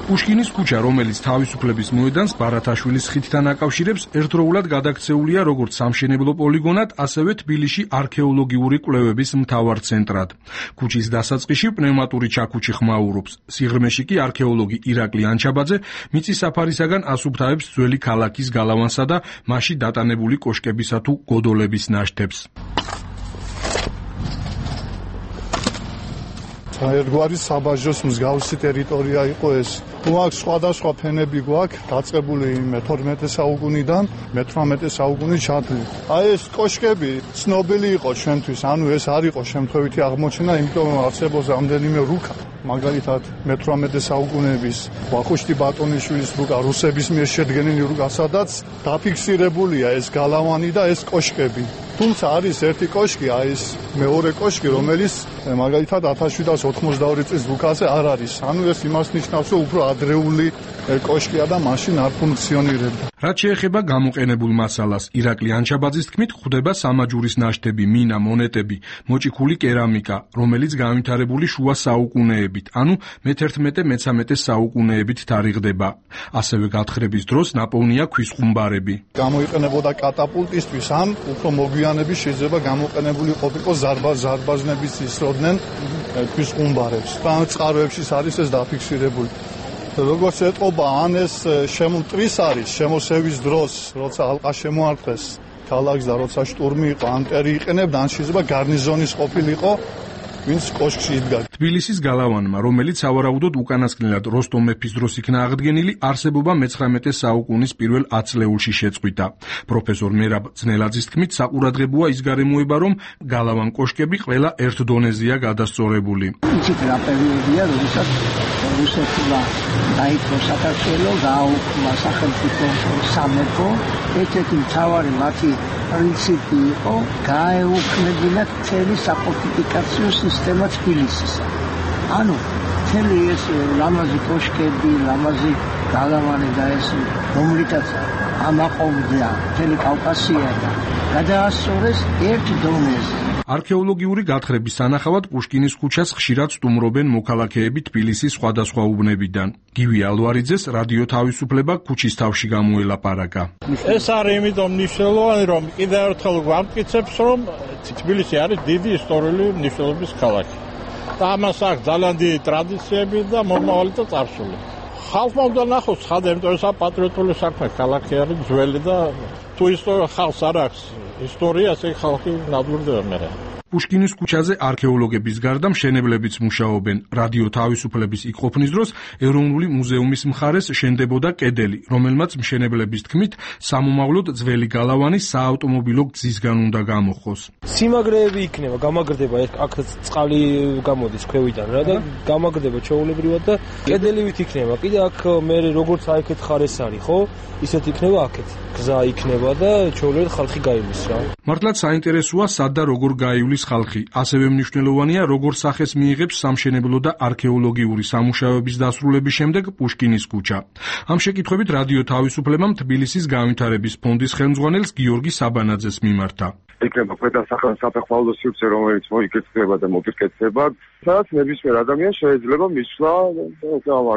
პუშკინის ქუჩა, რომელიც თავისუფლების მოედანს ბარათაშვილის ხიდთან აკავშირებს, ერთდროულად გადაქცეულია როგორც სამშენებლო პოლიგონად, ასევე თბილისში არქეოლოგიური კვლევების მთავარ ცენტრად. ქუჩის დასაწყისში პნევმატური ჩაქუჩი ხმაურობს. სიღრმეში კი არქეოლოგი ირაკლი ანჩაბაძე მიწის საფარისაგან ასუფთავებს ძველი ქალაქის გალავანსა და მასში დატანებული კოშკებისა თუ გოდოლების ნაშთებს. ერთგვარი საბაჟოს მსგავსი ტერიტორია იყო ეს. გვაქვს სხვადასხვა ფენები გვაქვს დაწყებული მე-12 საუკუნიდან მე-18 საუკუნის ჩათვლით. აი ეს კოშკები ცნობილი იყო ჩვენთვის, ანუ ეს არ იყო შემთხვევითი აღმოჩენა, იმიტომ რომ არსებობს რამდენიმე რუკა. მაგალითად მე-18 საუკუნეების ვახუშტი ბატონიშვილის რუკა, რუსების მიერ შედგენილი რუკა, სადაც დაფიქსირებულია ეს გალავანი და ეს კოშკები. თუმცა არის ერთი კოშკი, აი ეს მეორე კოშკი, რომელიც მაგალითად 1792 წლის რუკაზე არ არის. ანუ ეს იმას ნიშნავს, რომ უფრო ადრეული კოშკია და მაშინ არ ფუნქციონირებდა. რაც შეეხება გამოყენებულ მასალას, ირაკლი ანჩაბაძის თქმით, გვხვდება სამაჯურის ნაშთები, მინა, მონეტები, მოჭიქული კერამიკა, რომელიც განვითარებული შუა საუკუნეებით, ანუ მე-11-მე-13 საუკუნეებით თარიღდება. ასევე გათხრების დროს ნაპოვნია ქვის ხუმბარები. გამოიყენებოდა კატაპულტისთვის, ან უფრო მოგვიანებით შეიძლება გამოყენებული ყოფილიყო ზარბაზნების ისროდნენ ქვის ხუმბარებს. ან წყაროებში არის ეს დაფიქსირებული. როგორც ეტყობა, ან ეს შემოტრის არის შემოსევის დროს, როცა ალყა შემოარტყეს ქალაქს და როცა შტურმი იყო, ანტერი იყენებდა, ან შეიძლება გარნიზონის ყოფილიყო, ვინც კოშკში იდგა. თბილისის გალავანმა, რომელიც სავარაუდოდ უკანასკნელად როსტომ მეფის დროს იქნა აღდგენილი, არსებობა მე-19 საუკუნის პირველ 10 წლეულში შეწყვიტა. პროფესორ მერაბ ძნელაძის თქმით, საყურადღებოა ის გარემოება, რომ გალავან კოშკები ყველა ერთ დონეზეა გადასწორებული. იცით რა პერიოდია, როდესაც რუსეთმა დაიწყო საქართველო, გააუქმა სახელმწიფო სამეფო, ერთ-ერთი მთავარი მათი პრინციპი იყო გაეუქმებინათ მთელი საფორტიფიკაციო სისტემა თბილისისა. ანუ მთელი ეს ლამაზი კოშკები, ლამაზი გალავანი და ეს რომლითაც ამაყობდა მთელი კავკასია და გადაასწორეს ერთ დონეზე. არქეოლოგიური გათხრების სანახავად პუშკინის ქუჩას ხშირად სტუმრობენ მოქალაქეები თბილისის სხვადასხვა უბნებიდან. გივი ალვარიძეს რადიო თავისუფლება ქუჩის თავში გამოელაპარაკა. ეს არის იმიტომ მნიშვნელოვანი, რომ კიდევ ერთხელ გვამტკიცებს, რომ თბილისი არის დიდი ისტორიული მნიშვნელობის ქალაქი. და ამას აქვს ძალიან დიდი ტრადიციები და მომავალი და წარსული. ხალხმა უნდა ნახოს ცხადე, იმიტომ ეს პატრიოტული საქმე, ქალაქი არის ძველი და თუ ისტორია ხალხს არ აქვს ისტორიას, ეგ ხალხი ნადგურდება მე. პუშკინის ქუჩაზე არქეოლოგების გარდა მშენებლებიც მუშაობენ. რადიო თავისუფლების იქ ყოფნის დროს ეროვნული მუზეუმის მხარეს შენდებოდა კედელი, რომელმაც მშენებლების თქმით სამომავლოდ ძველი გალავანი საავტომობილო გზისგან უნდა გამოხოს. სიმაგრეები იქნება, გამაგრდება, აქ წყალი გამოდის ქვევიდან რა და გამაგრდება ჩაოლებრივად და კედელივით იქნება. კიდე აქ მე როგორც აიქეთ ხარეს არის, ხო? ისეთ იქნება აქეთ. გზა იქნება და ჩაოლებრივად ხალხი გაივლის რა. მართლაც საინტერესოა სად და როგორ გაივლის ხალხი. ასევე მნიშვნელოვანია როგორ სახეს მიიღებს სამშენებლო და არქეოლოგიური სამუშაოების დასრულების შემდეგ პუშკინის ქუჩა. ამ შეკითხვებით რადიო თავისუფლებამ თბილისის განვითარების ფონდის ხელმძღვანელს გიორგი საბანაძეს მიმართა. იქნება საფეხმავლო სივრცე, რომელიც მოიკეთება და მოპირკეთდება, სადაც ნებისმიერ ადამიანს შეიძლება მისვლა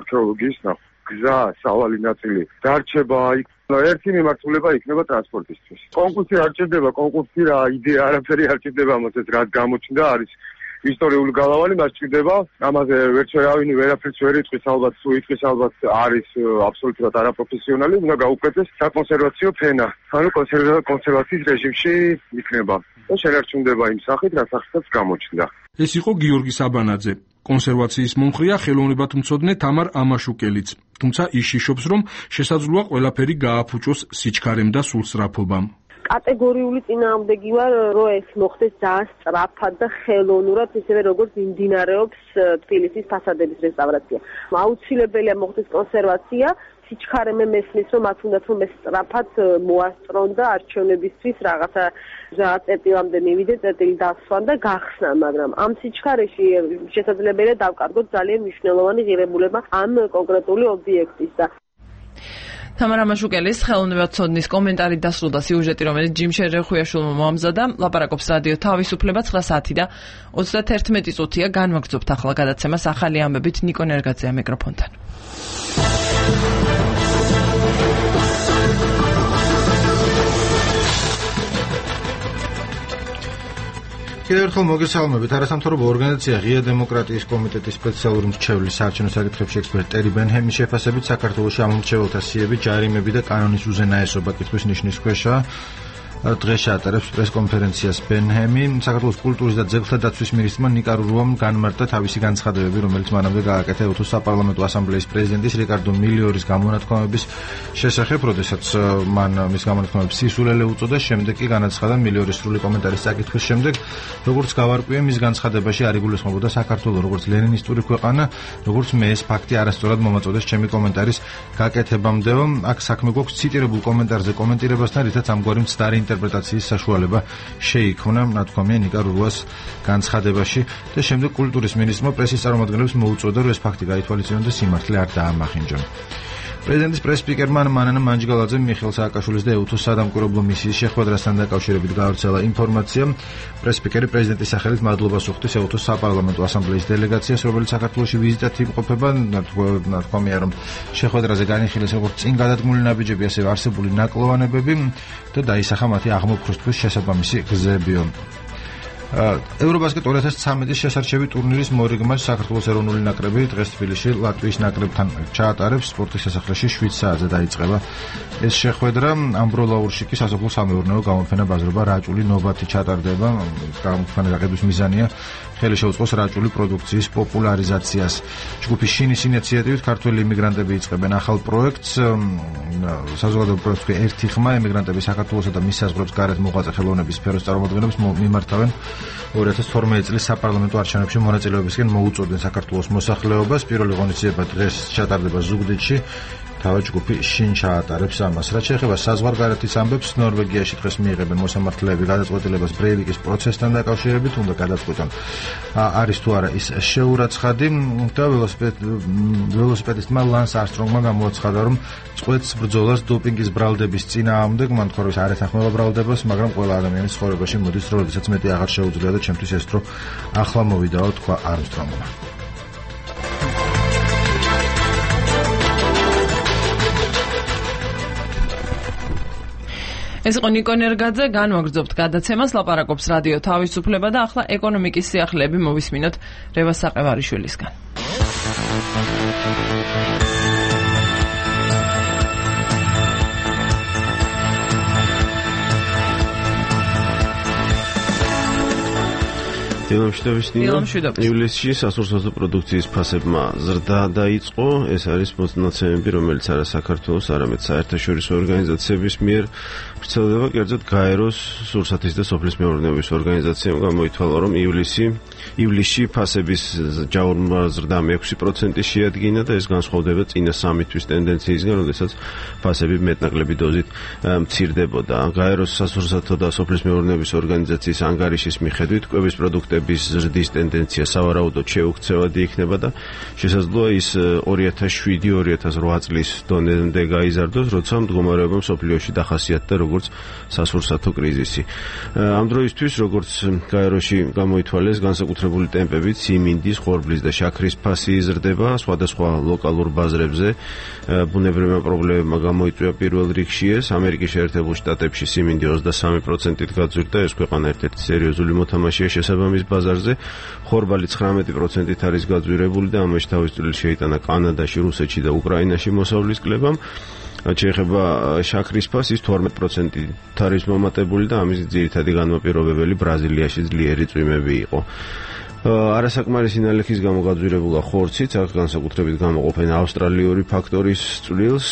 არქეოლოგიის ნახვა. გზა, სავალი ნაწილი დარჩება იქ. ერთი მიმართულება იქნება ტრანსპორტისთვის. კონკურსი არ ჭირდება, კონკურსი რა იდეა არაფერი არ ჭირდება, მოწეს რაც გამოჩნდა არის ისტორიული გალავანი, მას ჭირდება. ამაზე ვერც ვერავინ ვერაფერს ვერ იტყვის, ალბათ თუ იტყვის, ალბათ არის აბსოლუტურად არაპროფესიონალი, უნდა გაუკეთდეს საკონსერვაციო ფენა. ანუ კონსერვაციის რეჟიმში იქნება. და შენარჩუნდება იმ სახით, რა სახითაც გამოჩნდა. ეს იყო გიორგი საბანაძე. კონსერვაციის მომხრეა ხელოვნებათმცოდნე თამარ ამაშუკელიც. თუმცა ის შიშობს, რომ შესაძლოა ყველაფერი გააფუჭოს სიჩქარემ და სულსწრაფობამ. კატეგორიული წინააღმდეგი ვარ, რომ ეს მოხდეს ძალიან სწრაფად და ხელოვნურად, ისევე როგორც მიმდინარეობს თბილისის ფასადების რესტავრაცია. აუცილებელია მოხდეს კონსერვაცია. სიჩქარე მე მესმის, რომ მათ უნდა რომ ეს სწრაფად მოასწრონ და არჩევნებისთვის რაღაცა წერტილამდე მივიდეს, წერტილი დასვან და გახსნან, მაგრამ ამ სიჩქარეში შესაძლებელია დავკარგოთ ძალიან მნიშვნელოვანი ღირებულება ამ კონკრეტული ობიექტის და თამარ ამაშუკელის ხელოვნებათმცოდნის კომენტარი დასრულდა სიუჟეტი, რომელიც ჯიმ შერეხუიაშვილმა მოამზადა. ლაპარაკობს რადიო თავისუფლება 9 საათი და 31 წუთია. განვაგრძობთ ახლა გადაცემას ახალი ამბებით ნიკო ნერგაძეა მიკროფონთან. კიდევ ერთხელ მოგესალმებით. არასამთავრობო ორგანიზაცია ღია დემოკრატიის კომიტეტის სპეციალური მრჩევლის საარჩევნო საკითხებში ექსპერტ ტერი ბენჰემის შეფასებით საქართველოში ამომრჩეველთა სიები, ჯარიმები და კანონის უზენაესობა კითხვის ნიშნის ქვეშაა. დღეს შეატარებს პრესკონფერენციას ბენჰემი. საქართველოს კულტურის და ძეგლთა დაცვის მინისტრმა ნიკა რურუამ განმარტა თავისი განცხადებები, რომელიც მანამდე გააკეთა ეუთოს საპარლამენტო ასამბლეის პრეზიდენტის რიკარდო მილიორის გამონათქვამების შესახებ, როდესაც მან მის გამონათქვამებს სისულელე უწოდა, შემდეგ კი განაცხადა მილიორის სრული კომენტარის საკითხვის შემდეგ, როგორც გავარკვიე მის განცხადებაში არ იგულისხმებოდა საქართველოს როგორც ლენინისტური ქვეყანა, როგორც მე ეს ფაქტი არასწორად მომაწოდეს ჩემი კომენტარის გაკეთებამდეო. აქ საქმე გვაქვს ციტირებულ კომენტარზე კომენტირებასთან, რითაც ამგვარი მცდარი ინტერპრეტაციის საშუალება შეიქმნა, ნათქვამია ნიკა რურუას განცხადებაში და შემდეგ კულტურის მინისტრმა პრესის წარმომადგენლებს მოუწოდა, რომ ეს ფაქტი გაითვალისწინონ და სიმართლე არ დაამახინჯონ. პრეზიდენტის პრეს-სპიკერმა მანანა მანჯგალაძემ მიხეილ სააკაშვილის და ეუთოს სადამკვირვებლო მისიის შეხვედრასთან დაკავშირებით გაავრცელა ინფორმაცია. პრეს-სპიკერი პრეზიდენტის სახელით მადლობას უხდის ეუთოს საპარლამენტო ასამბლეის დელეგაციას, რომელიც საქართველოში ვიზიტად იმყოფება. ნათქვამია, რომ შეხვედრაზე განიხილეს როგორც წინ გადადგმული ნაბიჯები, ასევე არსებული ნაკლოვანებები და დაისახა მათი აღმოფხვრისთვის შესაბამისი გზებიო. ევრობასკეტ 2013-ის შესარჩევი ტურნირის მორიგმას საქართველოს ეროვნული ნაკრები დღეს თბილისში ლატვიის ნაკრებთან ჩაატარებს. სპორტის სასახლეში 7 საათზე დაიწყება ეს შეხვედრა. ამბროლაურში კი სასოფლო სამეურნეო გამოფენა ბაზრობა რაჭული ნობათი ჩატარდება. გამოფენა გაყიდვის მიზანია ხელი შეუწყოს რაჭული პროდუქციის პოპულარიზაციას. ჯგუფის შინის ინიციატივით ქართველი იმიგრანტები იწყებენ ახალ პროექტს. საზოგადოებრივ პროექტს ერთი ხმა იმიგრანტები საქართველოსა და მის საზღვრებს გარეთ მოღვაწე ხელოვნების სფეროს წარმომადგენლებს მიმართავენ 2012 წლის საპარლამენტო არჩევნებში მონაწილეობისკენ მოუწოდნენ საქართველოს მოსახლეობას. პირველი ღონისძიება დღეს ჩატარდება ზუგდიდში. თავად ჯგუფი შინ ჩაატარებს ამას. რაც შეეხება საზღვარგარეთის ამბებს, ნორვეგიაში დღეს მიიღებენ მოსამართლეები გადაწყვეტილებას ბრეივიკის პროცესთან დაკავშირებით, უნდა გადაწყვეტონ არის თუ არა ის შეურაცხადი და ველოსიპედისტმა ლანს არსტრონგმა გამოაცხადა, რომ წყვეტს ბრძოლას დოპინგის ბრალდების წინააღმდეგ. მან თქვა, რომ არ ეთანხმება ბრალდებას, მაგრამ ყველა ადამიანის ცხოვრებაში მოდის დრო, როდესაც მეტი აღარ შეუძლია და ჩემთვის ეს დრო ახლა მოვიდაო, თქვა არსტრონგმა. ეს იყო ნიკო ნერგაძე, განვაგრძობთ გადაცემას, ლაპარაკობს რადიო თავისუფლება და ახლა ეკონომიკის სიახლეები მოვისმინოთ რევას საყევარიშვილისგან. დილამშვიდობის ნინო. ივლისში სასურსათო პროდუქციის ფასებმა ზრდა დაიწყო. ეს არის მონაცემები, რომელიც არა საქართველოს, არამედ საერთაშორისო ორგანიზაციების მიერ ვრცელდება, კერძოდ გაეროს სურსათის და სოფლის მეურნეობის ორგანიზაციამ გამოითვალა, რომ ივლისში ფასების ჯაურმა ზრდა 6% შეადგინა და ეს განსხვავდება წინა 3 თვის ტენდენციისგან, როდესაც ფასები მეტნაკლები დოზით მცირდებოდა. გაეროს სასურსათო და სოფლის მეურნეობის ორგანიზაციის ანგარიშის მიხედვით კვების პროდუქტების ზრდის ტენდენცია სავარაუდოდ შეუქცევადი იქნება და შესაძლოა ის 2007-2008 წლის დონემდე გაიზარდოს, როცა მდგომარეობა მსოფლიოში დახასიათდა როგორც სასურსათო კრიზისი. ამ დროისთვის, როგორც გაეროში გამოითვალეს, განსაკუთრებული ტემპებით სიმინდის, ხორბლის და შაქრის ფასი იზრდება სხვადასხვა ლოკალურ ბაზრებზე. ბუნებრივმა პრობლემებმა გამოიწვია პირველ რიგში ეს. ამერიკის შეერთებულ შტატებში სიმინდი 23%-ით გაძვირდა, ეს ქვეყანა ერთ-ერთი სერიოზული მოთამაშეა შესაბამის ბაზარზე. ხორბალი 19%-ით არის გაძვირებული და ამაში თავის წვლილი შეიტანა კანადაში, რუსეთში და უკრაინაში მოსავლის კლებამ. შეეხება შაქრის ფასის 12%-ით არის მომატებული და ამის ძირითადი განმაპირობებელი ბრაზილიაში ძლიერი წვიმები იყო. არასაკმარისი ნალექის გამო გაძვირებულა ხორციც, აქ განსაკუთრებით გამოყოფენ ავსტრალიური ფაქტორის წვლილს,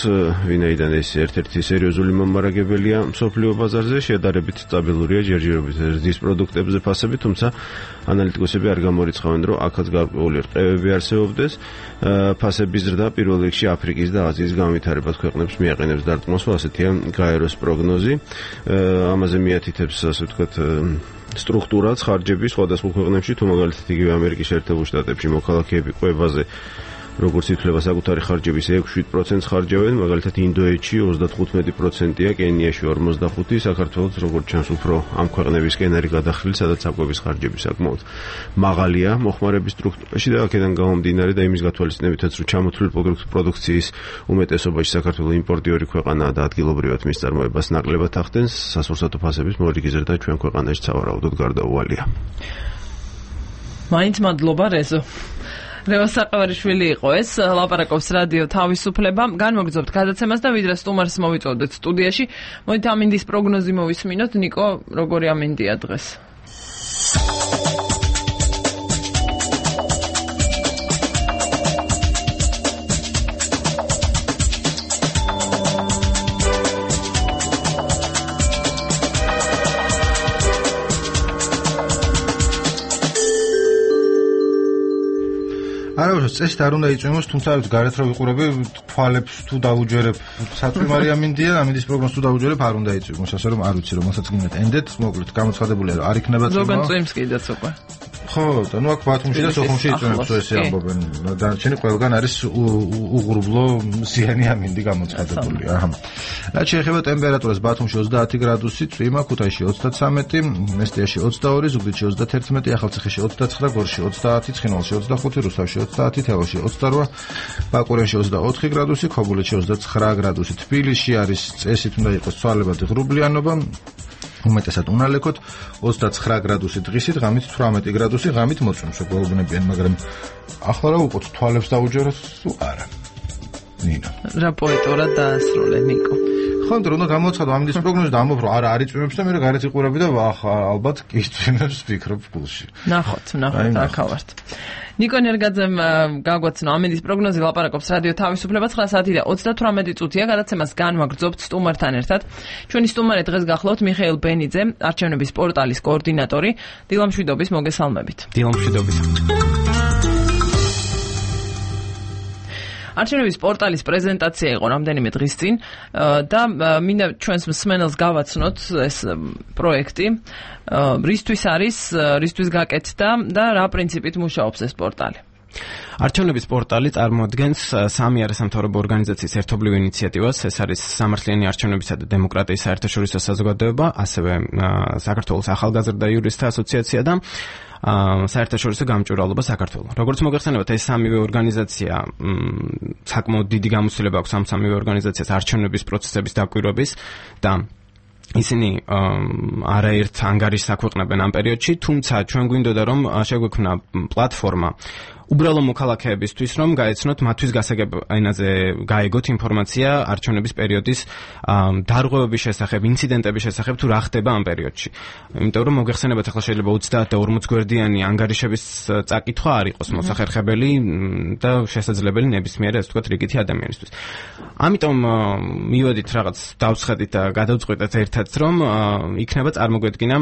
ვინაიდან ეს ერთ-ერთი სერიოზული მომარაგებელია მსოფლიო ბაზარზე, შედარებით სტაბილურია ჯერჯერობით ზრდის პროდუქტებზე ფასები, თუმცა ანალიტიკოსები არ გამორიცხავენ, რომ აქაც გარკვეული რყევები არსებობდეს. ფასების ზრდა პირველ რიგში აფრიკის და აზიის განვითარებად ქვეყნებს მიაყენებს დარტყმას, ასეთია გაეროს პროგნოზი. ამაზე მიათითებს, ასე ვთქვათ, სტრუქტურაც ხარჯების სხვადასხვა ქვეყნებში, თუ მაგალითად იგივე ამერიკის შეერთებულ შტატებში მოქალაქეები კვებაზე როგორც ითვლება საკუთარი ხარჯების 6-7% ხარჯავენ, მაგალითად ინდოეთში 35%-ია, კენიაში 45%, საქართველოს როგორც ჩანს უფრო ამ ქვეყნებისკენ არის გადახრილი, სადაც საკვების ხარჯები საკმაოდ მაღალია მოხმარების სტრუქტურაში და აქედან გამომდინარე და იმის გათვალისწინებითაც, რომ ჩამოთვლილი პროდუქციის უმეტესობაში საქართველოს იმპორტიორი ქვეყანაა და ადგილობრივად მის წარმოებას ნაკლებად ახდენს, სასურსათო ფასების მორიგი ზრდა ჩვენ ქვეყანაში სავარაუდოდ გარდაუვალია. მაინც მადლობა რეზო. რევას საყევარიშვილი იყო ეს, ლაპარაკობს რადიო თავისუფლება. განმოგრძობთ გადაცემას და ვიდრე სტუმარს მოვიწოდეთ სტუდიაში. მოდით ამინდის პროგნოზი მოვისმინოთ. ნიკო, როგორი ამინდია დღეს? არა, წესით არ უნდა იწვიმოს, თუმცა გარეთ რო ვიყურები, თვალებს თუ დავუჯერებ, საწვიმარი ამინდია, ამინდის პროგნოზს თუ დავუჯერებ, არ უნდა იწვიმოს, ასე რომ არ ვიცი, რომელსაც გინდათ ენდეთ, მოკლედ გამოცხადებულია, რომ არ იქნება წვიმა. ზოგან წვიმს კიდეც უკვე. ხო, და ნუ აქ ბათუმში და სოხუმში იწვიმებს ესე ამბობენ. დანარჩენი ყველგან არის უღრუბლო ზიანი ამინდი გამოცხადებული. აჰა. რაც შეეხება ტემპერატურას, ბათუმში 30 გრადუსი, წვიმა, ქუთაისში 33, მესტიაში 22, ზუგდიდში 31, ახალციხეში 29, გორში 30, ცხინვალში 25, რუსთავში 30, თელავში 28, ბაკურიანში 24 გრადუსი, ქობულეთში 29 გრადუსი. თბილისში არის წესით უნდა იყოს ცვალებადი ღრუბლიანობა, უმეტესად უნალექოთ 29 გრადუსი დღისით, ღამით 18 გრადუსი, ღამით მოწვიმს გვეუბნებიან, მაგრამ ახლა რა უყოთ თვალებს დაუჯეროთ თუ არა. ნინო. რა პოეტურად დაასრულე ნიკო. ხო, უნდა გამოცხადო ამინდის პროგნოზი და ამბობ, რომ არა არ იწვიმებს და მე გარეთ იყურები და ალბათ კი იწვიმებს ვფიქრობ გულში. ნახოთ, აქავართ. ნიკო ნერგაძემ გაგვაცნო ამინდის პროგნოზი, ლაპარაკობს რადიო თავისუფლება 9 საათი და 38 წუთია, გადაცემას განვაგრძობთ სტუმართან ერთად. ჩვენი სტუმარი დღეს გახლავთ მიხეილ ბენიძე, არჩევნების პორტალის კოორდინატორი. დილამშვიდობის, მოგესალმებით. დილამშვიდობის. არჩევნების პორტალის პრეზენტაცია იყო რამდენიმე დღის წინ და მინდა ჩვენს მსმენელს გავაცნოთ ეს პროექტი, რისთვის გაკეთდა და რა პრინციპით მუშაობს ეს პორტალი. არჩევნების პორტალი წარმოადგენს სამი არასამთავრობო ორგანიზაციის ერთობლივ ინიციატივას. ეს არის სამართლიანი არჩევნებისა და დემოკრატიის საერთაშორისო საზოგადოება, ასევე საქართველოს ახალგაზრდა იურისტთა ასოციაცია და საერთაშორისო გამჭვირვალობა საქართველოს. როგორც მოგეხსენებათ, ეს სამივე ორგანიზაცია საკმაოდ დიდი გამოცდილება აქვს ამ სამივე ორგანიზაციას არჩევნების პროცესების დაკვირვების და ისინი არაერთ ანგარიშს აქვეყნებენ ამ პერიოდში, თუმცა ჩვენ გვინდოდა რომ შეგვექმნა პლატფორმა უბრალო მოქალაქეებისთვის რომ გაეცნოთ მათთვის გასაგებ ენაზე გაეგოთ ინფორმაცია არჩევნების პერიოდის დარღვევების შესახებ, ინციდენტების შესახებ თუ რა ხდება ამ პერიოდში. იმიტომ რომ მოგეხსენებათ ახლა შეიძლება 30 და 40 გვერდიანი ანგარიშების წაკითხვა არ იყოს მოსახერხებელი და შესაძლებელი ნებისმიერ ასე ვთქვათ რიგითი ადამიანისთვის. ამიტომ მივედით რაღაც დავსხედით და გადავწყვეტეთ ერთად რომ იქნება წარმოგვედგინა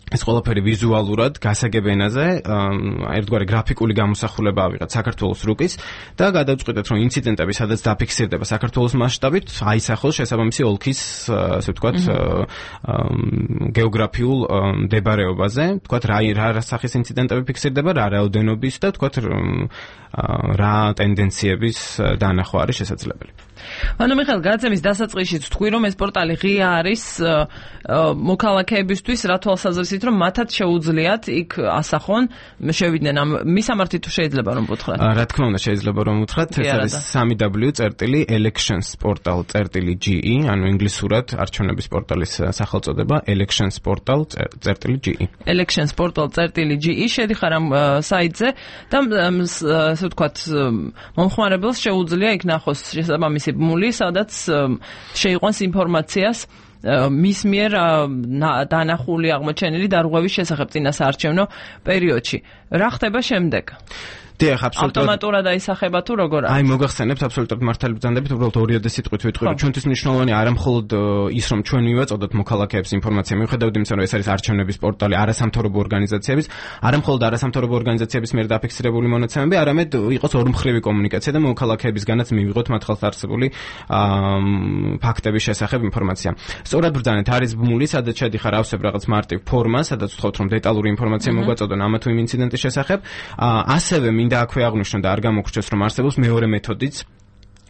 ეს ყველაფერი ვიზუალურად გასაგებ ენაზე, ერთგვარი გრაფიკული გამოსახულება ავიღეთ საქართველოს რუკის და გადავწყვეტეთ რომ ინციდენტები სადაც დაფიქსირდება საქართველოს მასშტაბით, აისახოს შესაბამისი ოლქის, ასე ვთქვათ, გეოგრაფიულ მდებარეობაზე, ვთქვათ რა სახის ინციდენტები ფიქსირდება, რა რაოდენობის და ვთქვათ რა ტენდენციების დანახვა არის შესაძლებელი. ანუ მიხეილ გადაცემის დასაწყისშიც თქვი რომ ეს პორტალი ღია არის მოქალაქეებისთვის რა თვალსაზრისით რომ მათაც შეუძლიათ იქ ასახონ შევიდნენ ამ მისამართი თუ შეიძლება რომ ვუთხრათ რა თქმა უნდა შეიძლება რომ ვუთხრათ ეს არის www.electionsportal.ge ანუ ინგლისურად არჩევნების პორტალის სახელწოდება electionsportal.ge electionsportal.ge შედიხარ ამ საიტზე და ასე ვთქვათ მომხმარებელს შეუძლია იქ ნახოს შესაბამისი ბმული, სადაც შეიყვანს ინფორმაციას მის მიერ დანახული აღმოჩენილი დარღვევის შესახებ წინა საარჩევნო პერიოდში. რა ხდება შემდეგ? დიახ, აბსოლუტურად. ავტომატურად აისახება თუ როგორ არის? აი, მოგახსენებთ აბსოლუტურად მართალი ბრძანდებით, უბრალოდ ორიოდე სიტყვით ვიტყვი, რომ ჩვენთვის მნიშვნელოვანი არა მხოლოდ ის, რომ ჩვენ მივაწოდოთ მოქალაქეებს ინფორმაცია, მიუხედავად იმისა, რომ ეს არის არჩევნების პორტალი არასამთავრობო ორგანიზაციების, არა მხოლოდ არასამთავრობო ორგანიზაციების მიერ დაფიქსირებული მონაცემები, არამედ იყოს ორმხრივი კომუნიკაცია და მოქალაქეებისგანაც მივიღოთ მათ ხელს არსებული ფაქტების შესახებ ინფორმაცია. სწორად ბრძანეთ, არის ბმული, სადაც შედიხარ ავსებ რაღაც მარტივ ფორმას, სადაც ვთქვათ, რომ დეტალური ინფორმაცია მოგვაწოდონ ამა თუ იმ ინციდენტის შესახებ, ასევე და აქვე აღნიშნო და არ გამოგრჩეს რომ არსებობს მეორე მეთოდიც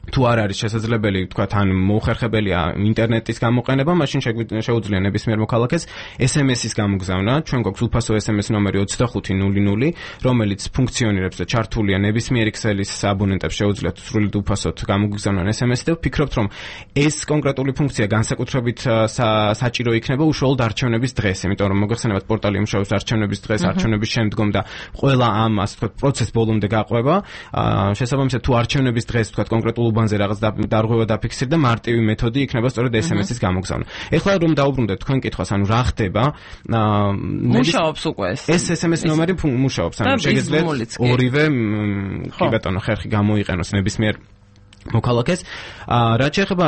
თუ არ არის შესაძლებელი, თქვათ, ან მოუხერხებელია ინტერნეტის გამოყენება, მაშინ შეუძლია ნებისმიერ მოქალაქეს SMS-ის გამოგზავნა. ჩვენ გვაქვს უფასო SMS ნომერი 2500, რომელიც ფუნქციონირებს და ჩართულია ნებისმიერი ქსელის აბონენტებს შეუძლიათ სრულად უფასოდ გამოგზავნონ SMS-ი და ვფიქრობთ, რომ ეს კონკრეტული ფუნქცია განსაკუთრებით საჭირო იქნება უშუალოდ არჩევნების დღეს, იმიტომ რომ მოგეხსენებათ პორტალი იმუშავებს არჩევნების დღეს, არჩევნების შემდგომ და ყველა ამ ასე ვთქვათ პროცესს ბოლომდე გაყვება. შესაბამისად თუ არჩევნების დღეს ვთქვათ კონკრეტულ უბანზე რაღაც დარღვევა დაფიქსირდა, მარტივი მეთოდი იქნება სწორედ SMS-ის გამოგზავნა. ეხლა რომ დავუბრუნდეთ თქვენ კითხვას, ანუ რა ხდება? მუშაობს უკვე ეს. ეს SMS ნომერი მუშაობს, ანუ შეგეძლიათ ორივე კი ბატონო ხერხი გამოიყენოს ნებისმიერ მოქალაქეს. რაც შეეხება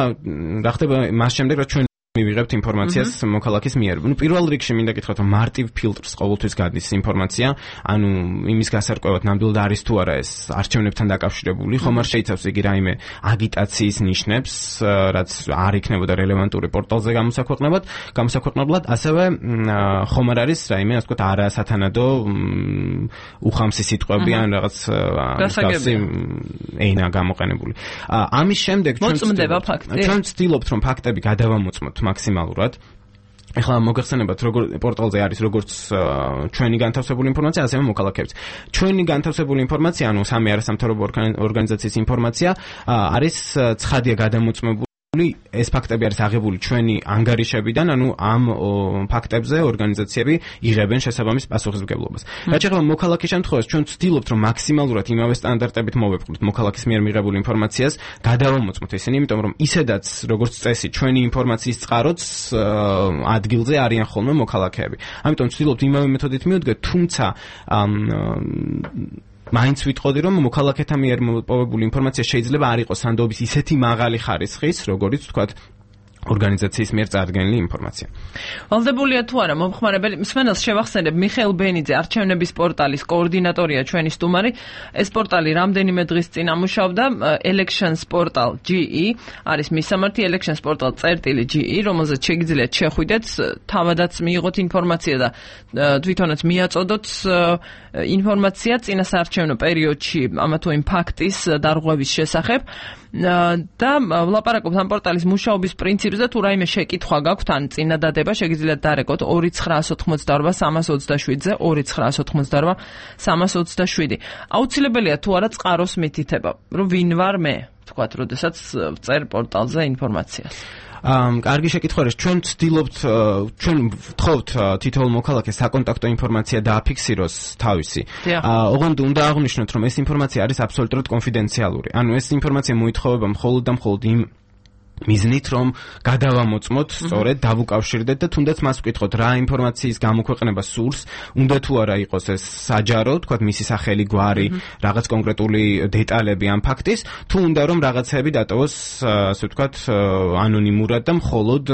რა ხდება მას შემდეგ, რაც ჩვენ მივიღებთ ინფორმაციას მოქალაქის მიერ. ნუ პირველ რიგში მინდა გითხრათ, რომ მარტივ ფილტრს ყოველთვის გადის ინფორმაცია, ანუ იმის გასარკვევად ნამდვილად არის თუ არა ეს არჩევნებთან დაკავშირებული, ხომ არ შეიცავს იგი რაიმე აგიტაციის ნიშნებს, რაც არ იქნებოდა რელევანტური პორტალზე გამოსაქვეყნებლად, ასევე ხომ არ არის რაიმე, ასე ვთქვათ, არასათანადო უხამსი სიტყვები ან რაღაც გასაგები ენა გამოყენებული. ამის შემდეგ ჩვენ ვცდილობთ, რომ ფაქტები გადავამოწმოთ მაქსიმალურად. ეხლა მოგეხსენებათ, როგორ პორტალზე არის როგორც ჩვენი განთავსებული ინფორმაცია, ასევე მოქალაქეების. ჩვენი განთავსებული ინფორმაცია, ანუ სამი არასამთავრობო ორგანიზაციის ინფორმაცია არის ცხადია გადამოწმებული. ეს ფაქტები არის აღებული ჩვენი ანგარიშებიდან, ანუ ამ ფაქტებზე ორგანიზაციები იღებენ შესაბამის პასუხისმგებლობას. რაც შეეხება მოქალაქის შემთხვევას, ჩვენ ვცდილობთ, რომ მაქსიმალურად იმავე სტანდარტებით მოვეპყროთ მოქალაქის მიერ მიღებულ ინფორმაციას, გადავამოწმოთ ისინი, იმიტომ რომ ისედაც როგორც წესი, ჩვენი ინფორმაციის წყაროც ადგილზე არიან ხოლმე მოქალაქეები. ამიტომ ვცდილობთ იმავე მეთოდით მივდგეთ, თუმცა მაინც ვიტყოდი, რომ მოქალაქეთა მიერ მოპოვებული ინფორმაცია შეიძლება არ იყოს სანდობის ისეთი მაღალი ხარისხის, როგორიც ვთქვათ ორგანიზაციის მიერ წარდგენილი ინფორმაცია. ვალდებულია თუ არა მომხმარებელი? მსმენელს შევახსენებ, მიხეილ ბენიძე, არჩევნების პორტალის კოორდინატორია ჩვენი სტუმარი. ეს პორტალი რამდენიმე დღის წინ ამუშავდა, electionsportal.ge არის მისამართი electionsportal.ge, რომელზეც შეგიძლიათ შეხვიდეთ, თავადაც მიიღოთ ინფორმაცია და თვითონაც მიაწოდოთ ინფორმაცია წინა საარჩევნო პერიოდში ამა თუ იმ ფაქტის დარღვევის შესახებ. და ვლაპარაკობთ ამ პორტალის მუშაობის პრინციპზე, თუ რაიმე შეკითხვა გაქვთ ან წინადადება, შეგიძლიათ დარეკოთ 2988 327-ზე 2988 327. აუცილებელია თუ არა წყაროს მითითება, რომ ვინ ვარ მე? თქვათ, როდესაც წერ პორტალზე ინფორმაციას. კარგი შეკითხვა არის. ჩვენ ვთხოვთ თითოეულ მოქალაქეს საკონტაქტო ინფორმაცია დააფიქსიროს თავისი. ოღონდ უნდა აღვნიშნოთ, რომ ეს ინფორმაცია არის აბსოლუტურად კონფიდენციალური. ანუ ეს ინფორმაცია მოითხოვება მხოლოდ და მხოლოდ იმ მიზნით, რომ გადავამოწმოთ, სწორედ დავუკავშირდეთ და თუნდაც მას ვკითხოთ, რა ინფორმაციის გამოქვეყნება სურს, უნდა თუ არა იყოს ეს საჯარო, თქვათ მისი სახელი, გვარი, რაღაც კონკრეტული დეტალები ამ ფაქტის, თუ უნდა რომ რაღაცები დატოვოს, ასე ვთქვათ, ანონიმურად და მხოლოდ,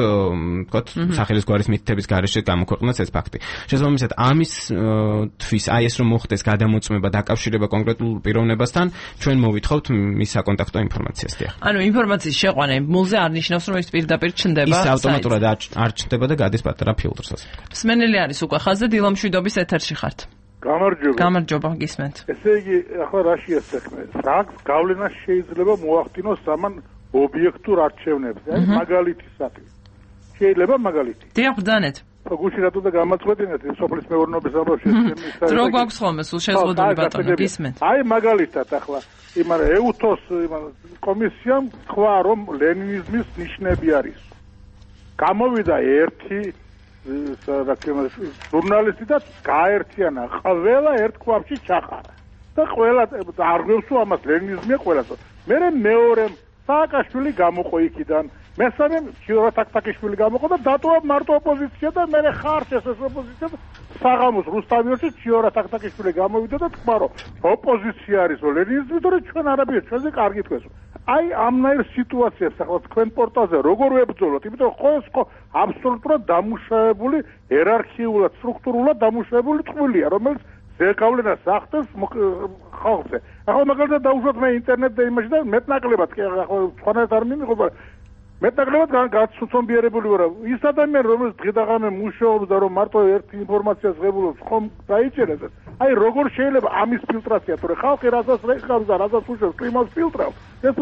თქვათ, სახელის გვარის მითითების გარეშე გამოქვეყნოს ეს ფაქტი. შესაბამისად, ამისთვის აი ეს რომ მოხდეს გადამოწმება დაკავშირება კონკრეტულ პიროვნებასთან, ჩვენ მოვითხოვთ მის საკონტაქტო ინფორმაციას. ანუ ინფორმაციის შეყვანა მულზე არ ნიშნავს, რომ ის პირდაპირ ჩნდება. ის ავტომატურად არ ჩნდება და გადის პატარა ფილტრს, ასე ვთქვათ. მსმენელი არის უკვე ხაზზე, დილამშვიდობის ეთერში ხართ. გამარჯობა. გამარჯობა, გისმენთ. ესე იგი, ახლა რაშია საქმე? რაგს გავლენა შეიძლება მოახდინოს ამან ობიექტურ არჩევნებზე, აი მაგალითისათვის. შეიძლება მაგალითი. დიახ, ბრძანეთ. გუში რატო და გამაწყვეტინეთ სოფლის მეურნეობის ამბავში ეს დრო გვაქვს ხოლმე სულ შეზღუდული ბატონო, გისმენთ. აი მაგალითად ახლა იმან ეუთოს კომისიამ თქვა, რომ ლენინიზმის ნიშნები არის. გამოვიდა ერთი ჟურნალისტი და გაერთიანა, ყველა ერთ ქვაბში ჩახარა. და ყველა არგვევსო ამას ლენინიზმია ყველასო. მერე მეორემ სააკაშვილი გამოყო იქიდან. მესამე ჩიორათაკთაკიშვილი გამოყო და დატოვა მარტო ოპოზიცია და მერე ხარჯ ეს ოპოზიცია საღამოს რუსთავიოში ჩიორათაკთაკიშვილი გამოვიდა და თქვა, რომ ოპოზიცია არის ლენინიზმი, თორე ჩვენ არაბია, ჩვენზე კარგი თქვენს. აი ამნაირ სიტუაციებს ახლა თქვენ პორტალზე როგორ ვებრძოლოთ? იმიტომ რომ ეს ხო აბსოლუტურად დამუშავებული, იერარქიულად, სტრუქტურულად დამუშავებული ტყუილია, რომელიც ზეგავლენას ახდენს ხალხზე. ახლა მაგალითად დაუშვათ მე ინტერნეტ და იმაში და მეტნაკლებად კი ახლა სხვანაირად არ მიმიღობა მეტნაკლებად გაცუცომბიერებული ვარ. ის ადამიანი, რომელიც დღე-დაღამე მუშაობს და რომ მარტო ერთი ინფორმაციას ღებულობს, ხომ დაიჭერეს. აი როგორ შეიძლება ამის ფილტრაცია, თორე ხალხი რასაც რეხავს და რასაც უშვებს, იმას ფილტრავს. ეს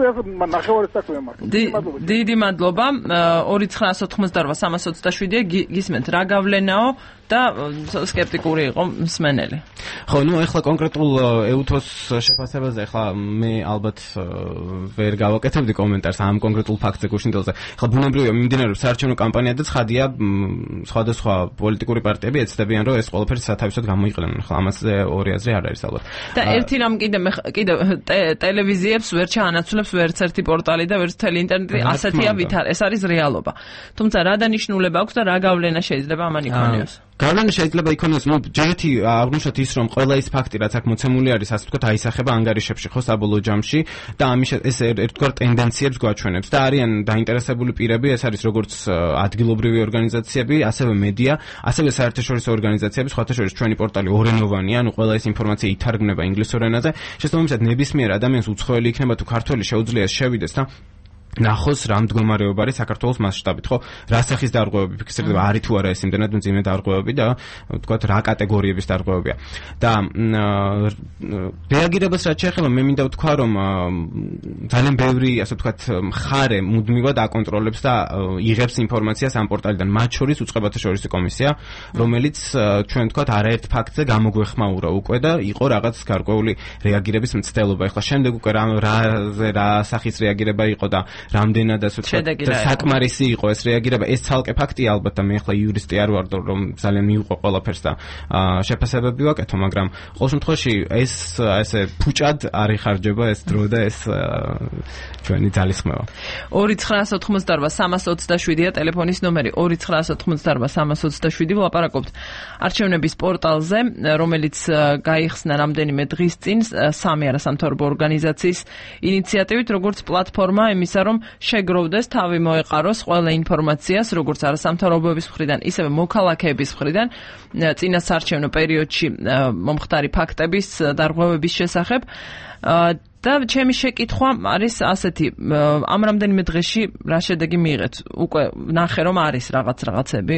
ნახევარი საქმეა მარტო. დიდი მადლობა. 2988327-ია გისმენთ. რა გავლენაო და სკეპტიკური იყო მსმენელი. ხო, ნუ ეხლა კონკრეტულ ეუთოს შეფასებაზე ეხლა მე ალბათ ვერ გავაკეთებდი კომენტარს ამ კონკრეტულ ფაქტზე გუშინდელზე. ეხლა ბუნებრივია მიმდინარეობს საარჩევნო კამპანია და ცხადია სხვადასხვა პოლიტიკური პარტიები ეცდებიან, რომ ეს ყველაფერი სათავისოდ გამოიყენონ. ეხლა ამაზე ორი აზრი არ არის ალბათ. და ერთი რამ კიდე ტელევიზიებს ვერ ჩაანაცვლებს ვერც ერთი პორტალი და ვერც მთელი ინტერნეტი ასეთია ვითარ. ეს არის რეალობა. თუმცა რა დანიშნულება აქვს და რა გავლენა შეიძლება ამან იქონიოს? გავლენა შეიძლება იქონიოს, ნუ ჯერეთი აღნიშნოთ ის, რომ ყველა ის ფაქტი, რაც აქ მოცემული არის, ასე ვთქვათ, აისახება ანგარიშებში, ხო, საბოლოო ჯამში და ამის ეს ერთგვარ ტენდენციებს გვაჩვენებს და არიან დაინტერესებული პირები, ეს არის როგორც ადგილობრივი ორგანიზაციები, ასევე მედია, ასევე საერთაშორისო ორგანიზაციები, სხვათა შორის ჩვენი პორტალი ორენოვანია, ანუ ყველა ეს ინფორმაცია ითარგმნება ინგლისურ ენაზე. შესაბამისად, ნებისმიერ ადამიანს უცხოელი იქნება თუ ქართველი შეუძლია შევიდეს და ნახოს რა მდგომარეობა არის საქართველოს მასშტაბით, ხო? რა სახის დარღვევები ფიქსირდება, არის თუ არა ეს იმდენად მძიმე დარღვევები და ვთქვათ რა კატეგორიების დარღვევებია. და რეაგირებას რაც შეეხება, მე მინდა ვთქვა, რომ ძალიან ბევრი, ასე ვთქვათ, მხარე მუდმივად აკონტროლებს და იღებს ინფორმაციას ამ პორტალიდან, მათ შორის უწყებათა შორისი კომისია, რომელიც ჩვენ ვთქვათ არაერთ ფაქტზე გამოგვეხმაურა უკვე და იყო რაღაც გარკვეული რეაგირების მცდელობა. ეხლა შემდეგ უკვე რა სახის რეაგირება იყო და რამდენად ასე ვთქვათ საკმარისი იყო ეს რეაგირება, ეს ცალკე ფაქტია ალბათ და მე ახლა იურისტი არ ვარ, რომ ძალიან მივყვა ყველაფერს და შეფასებები ვაკეთო, მაგრამ ყოველ შემთხვევაში ეს ესე ფუჭად არ იხარჯება ეს დრო და ეს ჩვენი ძალისხმევა. 2988327-ია ტელეფონის ნომერი, 2988327 ვლაპარაკობთ არჩევნების პორტალზე, რომელიც გაიხსნა რამდენიმე დღის წინ სამი არასამთავრობო ორგანიზაციის ინიციატივით, როგორც პლატფორმა იმისა, რომ შეგროვდეს, თავი მოეყაროს ყველა ინფორმაციას, როგორც არასამთავრობოების მხრიდან, ისევე მოქალაქეების მხრიდან, წინა საარჩევნო პერიოდში მომხდარი ფაქტების დარღვევების შესახებ. და ჩემი შეკითხვა არის ასეთი, ამ რამდენიმე დღეში რა შედეგი მიიღეთ? უკვე ნახე, რომ არის რაღაცები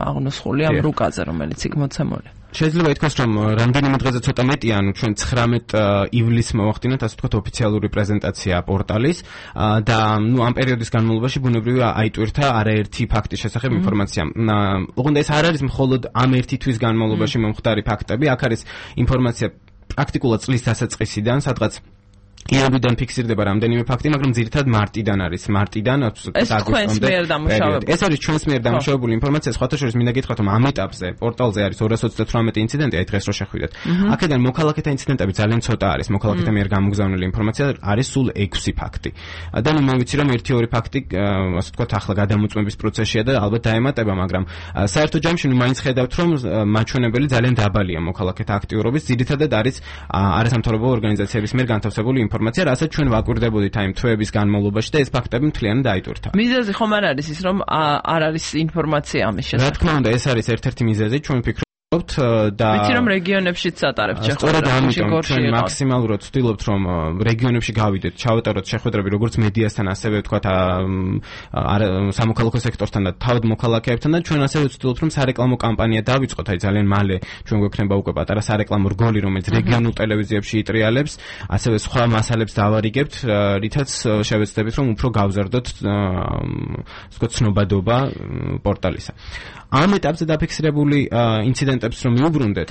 აღნუსხული ამ რუკაზე, რომელიც იქ მოცემული. შეიძლება ითქვას, რომ რამდენიმე დღეზე ცოტა მეტია, ანუ ჩვენ 19 ივლისს მოვახდინეთ, ასე ვთქვათ, ოფიციალური პრეზენტაცია პორტალის და ნუ ამ პერიოდის განმავლობაში ბუნებრივია აიტვირთა არაერთი ფაქტის შესახებ ინფორმაცია. ოღონდ ეს არ არის მხოლოდ ამ ერთი თვის განმავლობაში მომხდარი ფაქტები, აქ არის ინფორმაცია პრაქტიკულად წლის დასაწყისიდან, სადღაც იანვრიდან ფიქსირდება რამდენიმე ფაქტი, მაგრამ ძირითადად მარტიდან არის. მარტიდან ეს თქვენს მიერ დამუშავებული. ეს არის ჩვენს მიერ დამუშავებული ინფორმაცია. სხვათა შორის მინდა გითხრათ, რომ ამ ეტაპზე პორტალზე არის 238 ინციდენტი, აი დღეს რო შეხვიდეთ. აქედან მოქალაქეთა ინციდენტები ძალიან ცოტა არის. მოქალაქეთა მიერ გამოგზავნილი ინფორმაცია არის სულ 6 ფაქტი. და ნუ მე ვიცი რომ 1-2 ფაქტი, ასე ვთქვათ, ახლა გადამოწმების პროცესშია და ალბათ დაემატება, მაგრამ საერთო ჯამში ნუ მაინც ხედავთ, რომ მაჩვენებელი ძალიან დაბალია მოქალაქეთა აქტიურობის. ძირითადად არის არასამთავრობო ორგანიზაციების მიერ განთავსებული ინფორმაცია, რასაც ჩვენ ვაკვირდებოდით აი თვეების განმავლობაში და ეს ფაქტები მთლიანად დაიტვირთა. მიზეზი ხომ არ არის ის, რომ არ არის ინფორმაცია ამის შესახებ? რა თქმა უნდა, ეს არის ერთ-ერთი მიზეზი, ჩვენ ვფიქრობთ და ვიცი რომ რეგიონებშიც ატარებთ შეხვედრებს. სწორედ ამიტომ ჩვენ მაქსიმალურად ვცდილობთ რომ რეგიონებში გავიდეთ, ჩავატაროთ შეხვედრები როგორც მედიასთან, ასევე ვთქვათ სამოქალაქო სექტორთან და თავად მოქალაქეებთან და ჩვენ ასევე ვცდილობთ რომ სარეკლამო კამპანია დავიწყოთ. აი ძალიან მალე ჩვენ გვექნება უკვე პატარა სარეკლამო რგოლი, რომელიც რეგიონულ ტელევიზიებში იტრიალებს, ასევე სხვა მასალებს დავარიგებთ, რითაც შევეცდებით რომ უფრო გავზარდოთ ვთქვათ ცნობადობა პორტალისა. ამ ეტაპზე დაფიქსირებული ინციდენტებს რომ მიუბრუნდეთ.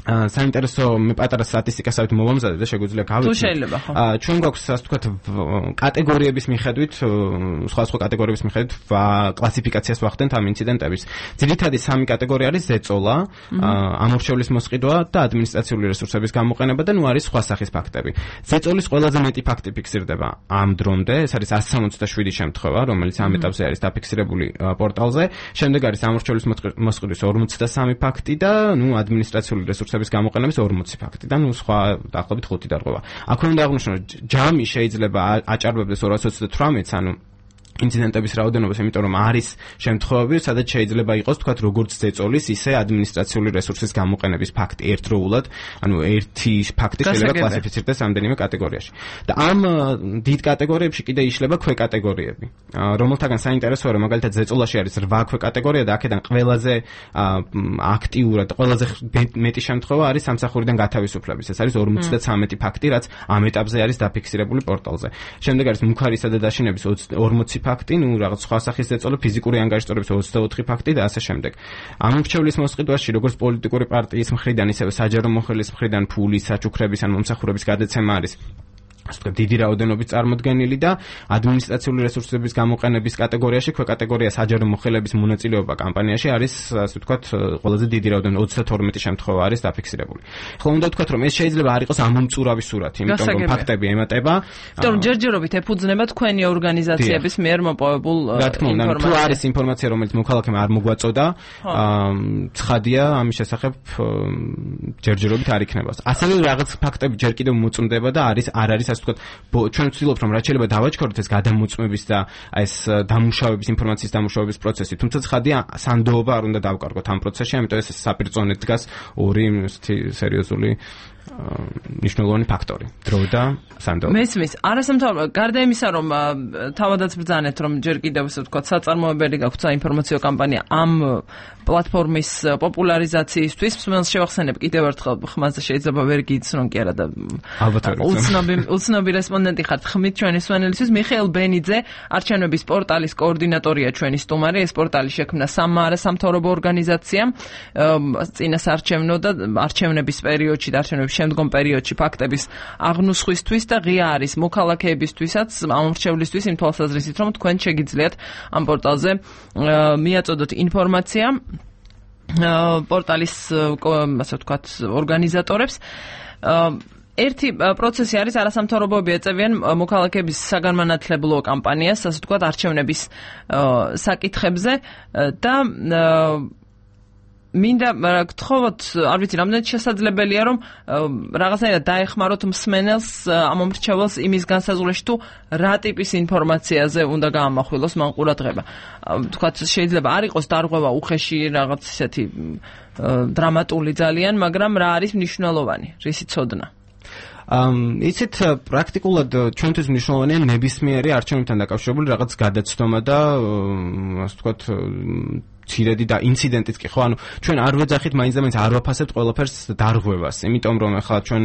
საინტერესო მე პატარა სტატისტიკასაც მოვამზადე და შეგვიძლია გავიცნოთ. თუ შეიძლება ხო. ჩვენ გვაქვს ასე ვთქვათ კატეგორიების მიხედვით, სხვა კატეგორიების მიხედვით კლასიფიკაციას ვახდენთ ამ ინციდენტების. ძირითადი 3 კატეგორია არის ზეწოლა, ამორჩევლის მოსყიდვა და ადმინისტრაციული რესურსების გამოყენება და ნუ არის სხვა სახის ფაქტები. ზეწოლის ყველაზე მეტი ფაქტი ფიქსირდება ამ დრომდე, ეს არის 167 შემთხვევა, რომელიც ამ ეტაპზე არის დაფიქსირებული პორტალზე. შემდეგ არის ამორჩევლის მოსყიდვის 53 ფაქტი და ნუ ადმინისტრაციული რესურსების გამოყენების 40 ფაქტი და ნუ სხვა დაახლოებით 5 დარღვევა. აქვე უნდა აღვნიშნო, ჯამი შეიძლება აჭარბებდეს 228-ს, ანუ ინციდენტების რაოდენობას, იმიტომ რომ არის შემთხვევები, სადაც შეიძლება იყოს თქვათ როგორც ზეწოლის, ისე ადმინისტრაციული რესურსის გამოყენების ფაქტი ერთდროულად, ანუ ერთი ფაქტი შეიძლება კლასიფიცირდეს რამდენიმე კატეგორიაში. და ამ დიდ კატეგორიებში კიდე იშლება ქვეკატეგორიები, რომელთაგან საინტერესოა, რომ მაგალითად ზეწოლაში არის 8 ქვეკატეგორია და აქედან ყველაზე აქტიურად, ყველაზე მეტი შემთხვევა არის სამსახურიდან გათავისუფლების. ეს არის 53 ფაქტი, რაც ამ ეტაპზე არის დაფიქსირებული პორტალზე. შემდეგ არის მუქარისა და დაშინების 40 ფაქტი, ნუ რაღაც სხვა სახის ზეწოლა, ფიზიკური ანგარიშტორების 24 ფაქტი და ასე შემდეგ. ამორჩევლის მოსყიდვაში, როგორც პოლიტიკური პარტიის მხრიდან, ისევე საჯარო მოხელის მხრიდან ფულის, საჩუქრების ან მომსახურების გადაცემა არის ასე ვთქვათ დიდი რაოდენობით წარმოდგენილი და ადმინისტრაციული რესურსების გამოყენების კატეგორიაში, ქვეკატეგორია საჯარო მოხელების მონაწილეობა კამპანიაში არის ასე ვთქვათ ყველაზე დიდი რაოდენობით 32 შემთხვევა არის დაფიქსირებული. ხოლო უნდა ვთქვათ რომ ეს შეიძლება არ იყოს ამომწურავი სურათი, იმიტომ რომ ფაქტები ემატება. იმიტომ რომ ჯერჯერობით ეფუძნება თქვენი ორგანიზაციების მიერ მოპოვებულ ინფორმაციას. თუ არის ინფორმაცია, რომელიც მოქალაქემ არ მოგვაწოდა, ცხადია ამის შესახებ ჯერჯერობით არ იქნება. ასევე რაღაც ფაქტები ჯერ კიდევ მოწმდება და არ არის ასე ვთქვათ, ჩვენ ვცდილობთ რომ რაც შეიძლება დავაჩქაროთ ეს გადამოწმების და ეს დამუშავების ინფორმაციის დამუშავების პროცესი, თუმცა ცხადია სანდოობა არ უნდა დავკარგოთ ამ პროცესში, ამიტომ ეს საპირწონედ დგას ორი სერიოზული ნიშნულოვანი ფაქტორი, დრო და სანდოობა. მესმის, არასამთავრობო, გარდა იმისა, რომ თავადაც ბრძანეთ, რომ ჯერ კიდევ ასე ვთქვათ, საწარმოებელი გაქვთ საინფორმაციო კამპანია ამ პლატფორმის პოპულარიზაციისთვის, მსმენელს შევახსენებ კიდევ ერთხელ, ხმაზე შეიძლება ვერ გიცნონ კი არა და უცნობი რესპონდენტი ხართ, ხმით ჩვენი მსმენელისთვის. მიხეილ ბენიძე, არჩევნების პორტალის კოორდინატორია ჩვენი სტუმარი. ეს პორტალი შექმნა სამმა არასამთავრობო ორგანიზაციამ წინასაარჩევნო და არჩევნების პერიოდში და არჩევნების შემდგომ პერიოდში ფაქტების აღნუსხვისთვის და ღია არის მოქალაქეებისთვისაც, ამორჩევლისთვის იმ თვალსაზრისით, რომ თქვენ შეგიძლიათ ამ პორტალზე მიაწოდოთ ინფორმაცია პორტალის ასე ვთქვათ ორგანიზატორებს. ერთი პროცესი არის არასამთავრობოები ეწევიან მოქალაქეების საგანმანათლებლო კამპანიას, ასე ვთქვათ, არჩევნების საკითხებზე და მინდა გთხოვოთ, არ ვიცი, რამდენად შესაძლებელია, რომ რაღაცნაირად დაეხმაროთ მსმენელს ამ მომრჩეველს იმის განსაზღვრაში, თუ რა ტიპის ინფორმაციაზე უნდა გაამახვილოს მან ყურადღება. თქვათ, შეიძლება არ იყოს დარღვევა უხეში რაღაც ისეთი დრამატული ძალიან, მაგრამ რა არის მნიშვნელოვანი, რისი ცოდნა? იცით, პრაქტიკულად ჩვენთვის მნიშვნელოვანია ნებისმიერი არჩევნებთან დაკავშირებული რაღაც გადაცდომა და ასე ვთქვათ ცირედი და ინციდენტიც კი ხო, ანუ ჩვენ არ ვეძახით მაინც არ ვაფასებთ ყველაფერს დარღვევას, იმიტომ რომ ახლა ჩვენ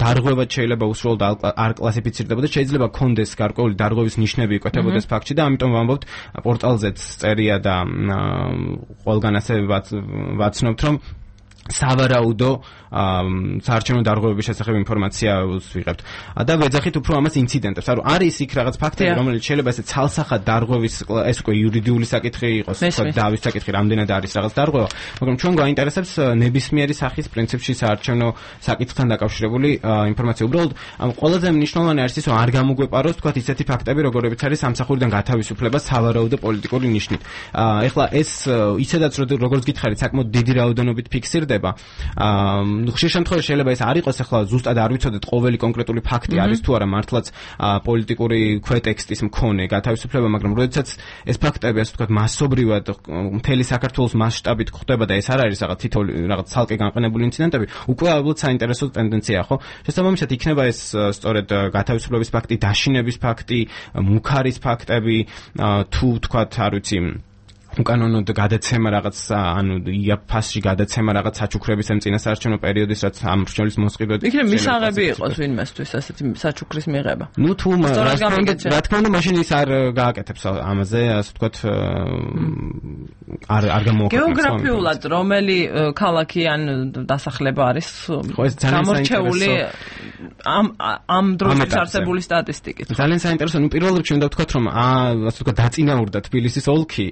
დარღვევა შეიძლება უსრულოდ არ კლასიფიცირდებოდა, შეიძლება კონდეს გარკვეული დარღვევის ნიშნები იკვეთებოდეს ფაქტში და ამიტომ ვამბობთ პორტალზეც წერია და ყველგან ასევე ვაცნობთ, რომ სავარაუდო საარჩევნო დარღვევების შესახებ ინფორმაციას ვიღებთ და ვეძახით უფრო ამას ინციდენტებს. ანუ არის იქ რაღაც ფაქტები, რომელიც შეიძლება ესე ცალსახად დარღვევის ეს უკვე იურიდიული საკითხი იყოს, თქო დავის საკითხი, რამდენად არის რაღაც დარღვევა, მაგრამ ჩვენ გვაინტერესებს ნებისმიერი სახის პრინციპში საარჩევნო საკითხთან დაკავშირებული ინფორმაცია. უბრალოდ ყველაზე მნიშვნელოვანი არის ის, რომ არ გამოგვეპაროს თქვა ისეთი ფაქტები, როგორებიც არის სამსახურიდან გათავისუფლება სავარაუდო პოლიტიკური ნიშნით. ეხლა ეს ისედაც როგორც გითხარით, საკმაოდ დიდი რაოდენობით ფიქსირდება. ხშირ შემთხვევაში შეიძლება ეს არ იყოს ახლა ზუსტად არ ვიცოდეთ ყოველი კონკრეტული ფაქტი არის თუ არა მართლაც პოლიტიკური ქვეტექსტის მქონე გათავისუფლება, მაგრამ როდესაც ეს ფაქტები ასე ვთქვათ მასობრივად მთელი საქართველოს მასშტაბით გვხდება და ეს არ არის რაღაც თითოეული რაღაც ცალკე განყენებული ინციდენტები, უკვე ალბათ საინტერესო ტენდენციაა, ხო? შესაბამისად იქნება ეს სწორედ გათავისუფლების ფაქტი, დაშინების ფაქტი, მუქარის ფაქტები, თუ ვთქვათ, არ ვიცი უკანონოდ გადაცემა რაღაც ანუ იაფასში გადაცემა რაღაც საჩუქრების ამ წინასაარჩევნო პერიოდის რაც ამ მრჩევლის მოსყიდვად იქნებ მისაღები იყოს ვინმესთვის ასეთი საჩუქრის მიღება. ნუ თუ რა თქმა უნდა მაშინ ის არ გააკეთებს ამაზე ასე ვთქვათ არ გამოუქმნას. გეოგრაფიულად რომელი ქალაქი ან დასახლება არის გამორჩეული ამ დროის არსებული სტატისტიკით. ძალიან საინტერესო. ნუ პირველ რიგში უნდა ვთქვათ რომ ასე ვთქვათ დაწინაურდა თბილისის ოლქი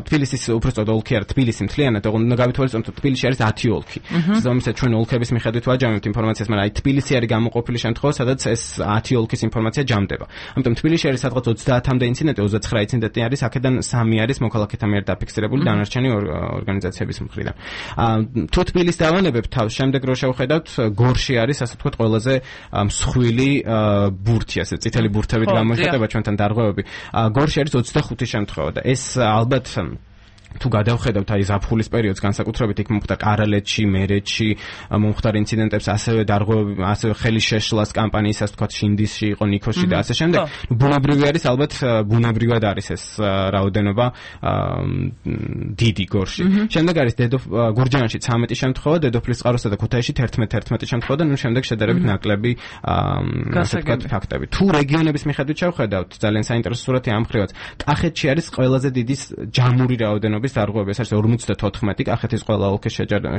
თბილისის უბრალოდ ოლქი არ თბილისი მთლიანად უნდა გავითვალისწინოთ რომ თბილისში არის 10 ოლქი. შესაბამისად ჩვენ ოლქების მიხედვით ვაჯამებთ ინფორმაციას, მაგრამ აი თბილისი არის გამოყოფილი შემთხვევა, სადაც ეს 10 ოლქის ინფორმაცია ჯამდება. ამიტომ თბილისში არის სადღაც 30-მდე ინციდენტი, 29 ინციდენტი არის, აქედან 3 არის მოქალაქეთა მიერ დაფიქსირებული, დანარჩენი ორგანიზაციების მხრიდან. თუ თბილისს დავანებებთ თავს, შემდეგ რო შევხედავთ, გორში არის ასე ვთქვათ ყველაზე მსხვილი ბურთი, ასე წითელი ბურთებით გამოიხატება ჩვენთან დარღვევები. გორში არის 25 შემთხვევა და ეს ალბათ თუ გადავხედავთ აი ზაფხულის პერიოდს განსაკუთრებით იქ მომხდარ კარალეთში, მერეთში მომხდარ ინციდენტებს, ასევე დარღვევები, ასევე ხელის შეშლას კამპანიის ასე ვთქვათ შინდისში იყო, ნიქოსში და ასე შემდეგ. ბუნებრივი არის ალბათ ბუნებრივად არის ეს რაოდენობა დიდი გორში. შემდეგ არის გურჯაანში 13 შემთხვევა, დედოფლის წყაროსა და ქუთაისში 11 შემთხვევა და ნუ შემდეგ შედარებით ნაკლები ასე ვთქვათ ფაქტები. თუ რეგიონების მიხედვით შევხედავთ, ძალიან საინტერესო სურათი ამ მხრივაც. კახეთში არის ყველაზე დიდი ჯამური რაოდენობა დარღვევები, ეს არის 54 კახეთის ყველა ოლქის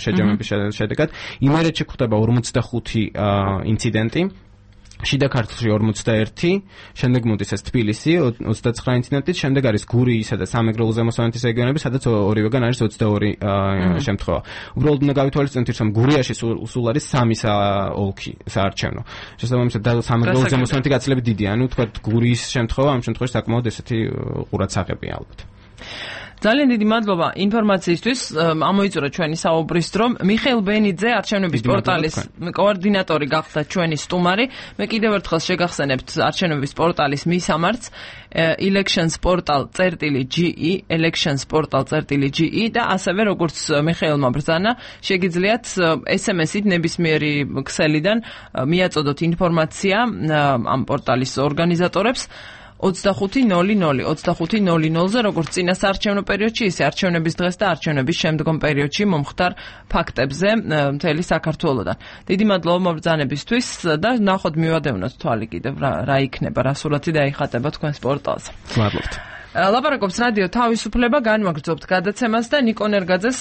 შეჯამების შედეგად. იმერეთში გვხდება 45 ინციდენტი, შიდა ქართლში 41, შემდეგ მოდის ეს თბილისი 29 ინციდენტით, შემდეგ არის გურიისა და სამეგრელო ზემოსვანეთის რეგიონები, სადაც ორივეგან არის 22 შემთხვევა. უბრალოდ უნდა გავითვალისწინოთ, რომ გურიაში სულ არის 3 ოლქი საარჩევნო. შესაბამისად და სამეგრელო ზემოსვანეთი გაცილებით დიდია, ანუ თქვა გურიის შემთხვევა ამ შემთხვევაში საკმაოდ ესეთი ყურადსაღებია ალბათ. ძალიან დიდი მადლობა ინფორმაციისთვის. ამოიწურა ჩვენი საუბრის დრო. მიხეილ ბენიძე, არჩევნების პორტალის კოორდინატორი გახდა ჩვენი სტუმარი. მე კიდევ ერთხელ შეგახსენებთ არჩევნების პორტალის მისამართს elections.portal.ge elections.portal.ge და ასევე როგორც მიხეილმა ბრძანა, შეგიძლიათ SMS-ით ნებისმიერი ქსელიდან მიაწოდოთ ინფორმაცია ამ პორტალის ორგანიზატორებს 25:00-ზე, როგორც წინასაარჩევნო პერიოდში, ისე არჩევნების დღეს და არჩევნების შემდგომ პერიოდში მომხდარ ფაქტებზე მთელი საქართველოდან. დიდი მადლობა მობრძანებისთვის და ნახოთ მივადევნოთ თვალი კიდევ რა იქნება, რა სურათი დაიხატება თქვენს პორტალზე. მადლობთ. ლაპარაკობს რადიო თავისუფლება, განვაგრძობთ გადაცემას და ნიკო ნერგაძეს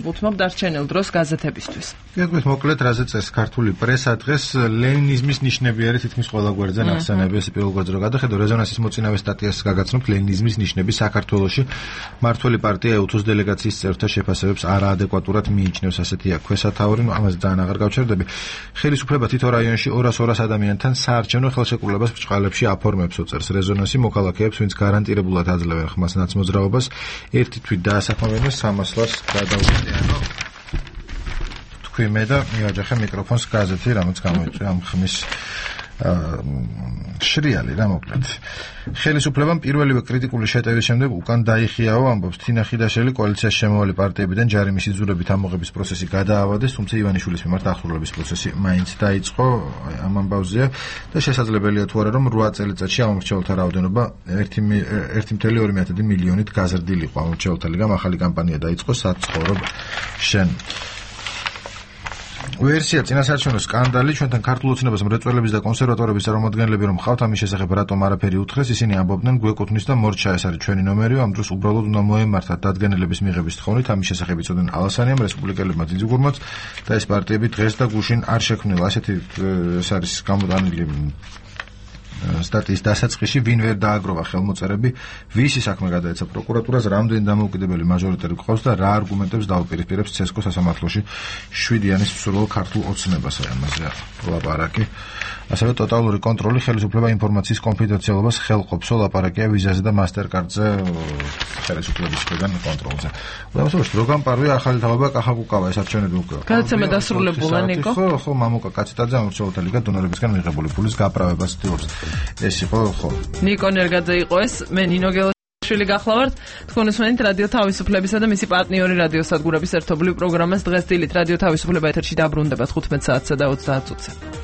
ვუთმობ დარჩენილ დროს გაზეთებისთვის. გეტყვით მოკლედ რაზე წერს ქართული პრესა დღეს ლენინიზმის ნიშნები არის თითქმის ყველა გვერდზე ნახსენები, ეს პირველ გვერდზე რო გადახედო რეზონანსის მოწინავე სტატიას გაგაცნობთ ლენინიზმის ნიშნები საქართველოში მართველი პარტია ეუთოს დელეგაციის წევრთა შეფასებებს არაადეკვატურად მიიჩნევს, ასეთია ქვესათაური, ამაზე ძალიან აღარ გავჩერდები. ხელისუფლება თითო რაიონში 200 ადამიანთან საარჩევნო ხელშეკრულებას ბრჭყალებში აფორმებსო, წერს რეზონანსი, მოქალაქეებს ვინც გარანტირებულად აძლევენ ხმას ნაცმოძრაობას, ერთი თვით დაასაფრთხოებენ 300 ლარს გადაუხდიანო. თქვი მე და მივაჯახე მიკროფონს გაზეთი, რამაც გამოიწვია ამ ხმის შრიალი რა მოკლედ. ხელისუფლებამ პირველივე კრიტიკული შეტევის შემდეგ უკან დაიხიაო, ამბობს თინა ხიდაშელი, კოალიციაში შემოვალი პარტიებიდან ჯარიმის იძულებით ამოღების პროცესი გადაავადეს, თუმცა ივანიშვილის მიმართ აღსრულების პროცესი მაინც დაიწყო, ამ ამბავზეა და შესაძლებელია თუ არა რომ 8 წელიწადში ამორჩეულთა რაოდენობა 1.2 მილიონით გაზრდილიყო. ამორჩეულთა ლიგამ ახალი კამპანია დაიწყო საცხოვრობ შენ. ვერსია წინასაარჩევნო სკანდალი ჩვენთან ქართულ ოცნებას მრეწველების და კონსერვატორების წარმომადგენლები რომ ხავთ ამის შესახებ რატომ არაფერი უთხრეს ისინი ამბობდნენ გვეკუთვნის და მორჩა ეს არის ჩვენი ნომერი ამ დროს უბრალოდ უნდა მოემართათ დადგენილების მიღების თხოვნით ამის შესახებ იცოდნენ ალასანიამ რესპუბლიკელებმა ძინძუგურმაც და ეს პარტიები დღეს და გუშინ არ შექმნილა ასეთი ეს არის გამოტანილი სტატიის დასაწყისში ვინ ვერ დააგროვა ხელმოწერები ვისი საქმე გადაეცა პროკურატურას რამდენი დამოუკიდებელი მაჟორიტარი გყავს და რა არგუმენტებს დაუპირისპირებს ცესკო სასამართლოში 7-იანის მსურველ ქართულ ოცნებას ამაზე ლაპარაკი ასევე ტოტალური კონტროლი ხელისუფლება ინფორმაციის კონფიდენციალობას ხელყოფსო ლაპარაკია ვიზაზე და მასტერკარდზე ხელისუფლების მხრიდან კონტროლზე უდავსებაში რო გამპარვია ახალი თავება კახაკუკავა ეს არჩევნები უკვე გადაცემა დასრულებულა ნიკო ხო მამუკა კაციტაძე ამორჩეულთა ლიგა დონორებისგან მიღებული ფულის გაправებას ცდილობს ეს იყო ხო ნიკო ნერგაძე იყო ეს მე ნინო გელაშვილი გახლავართ თქვენ უსმენთ რადიო თავისუფლებისა და მისი პარტნიორი რადიო სადგურების ერთობლივ პროგრამას დღეს დილით რადიო თავისუფლება ეთერში დაბრუნდება 15 საათსა და 30 წუთზე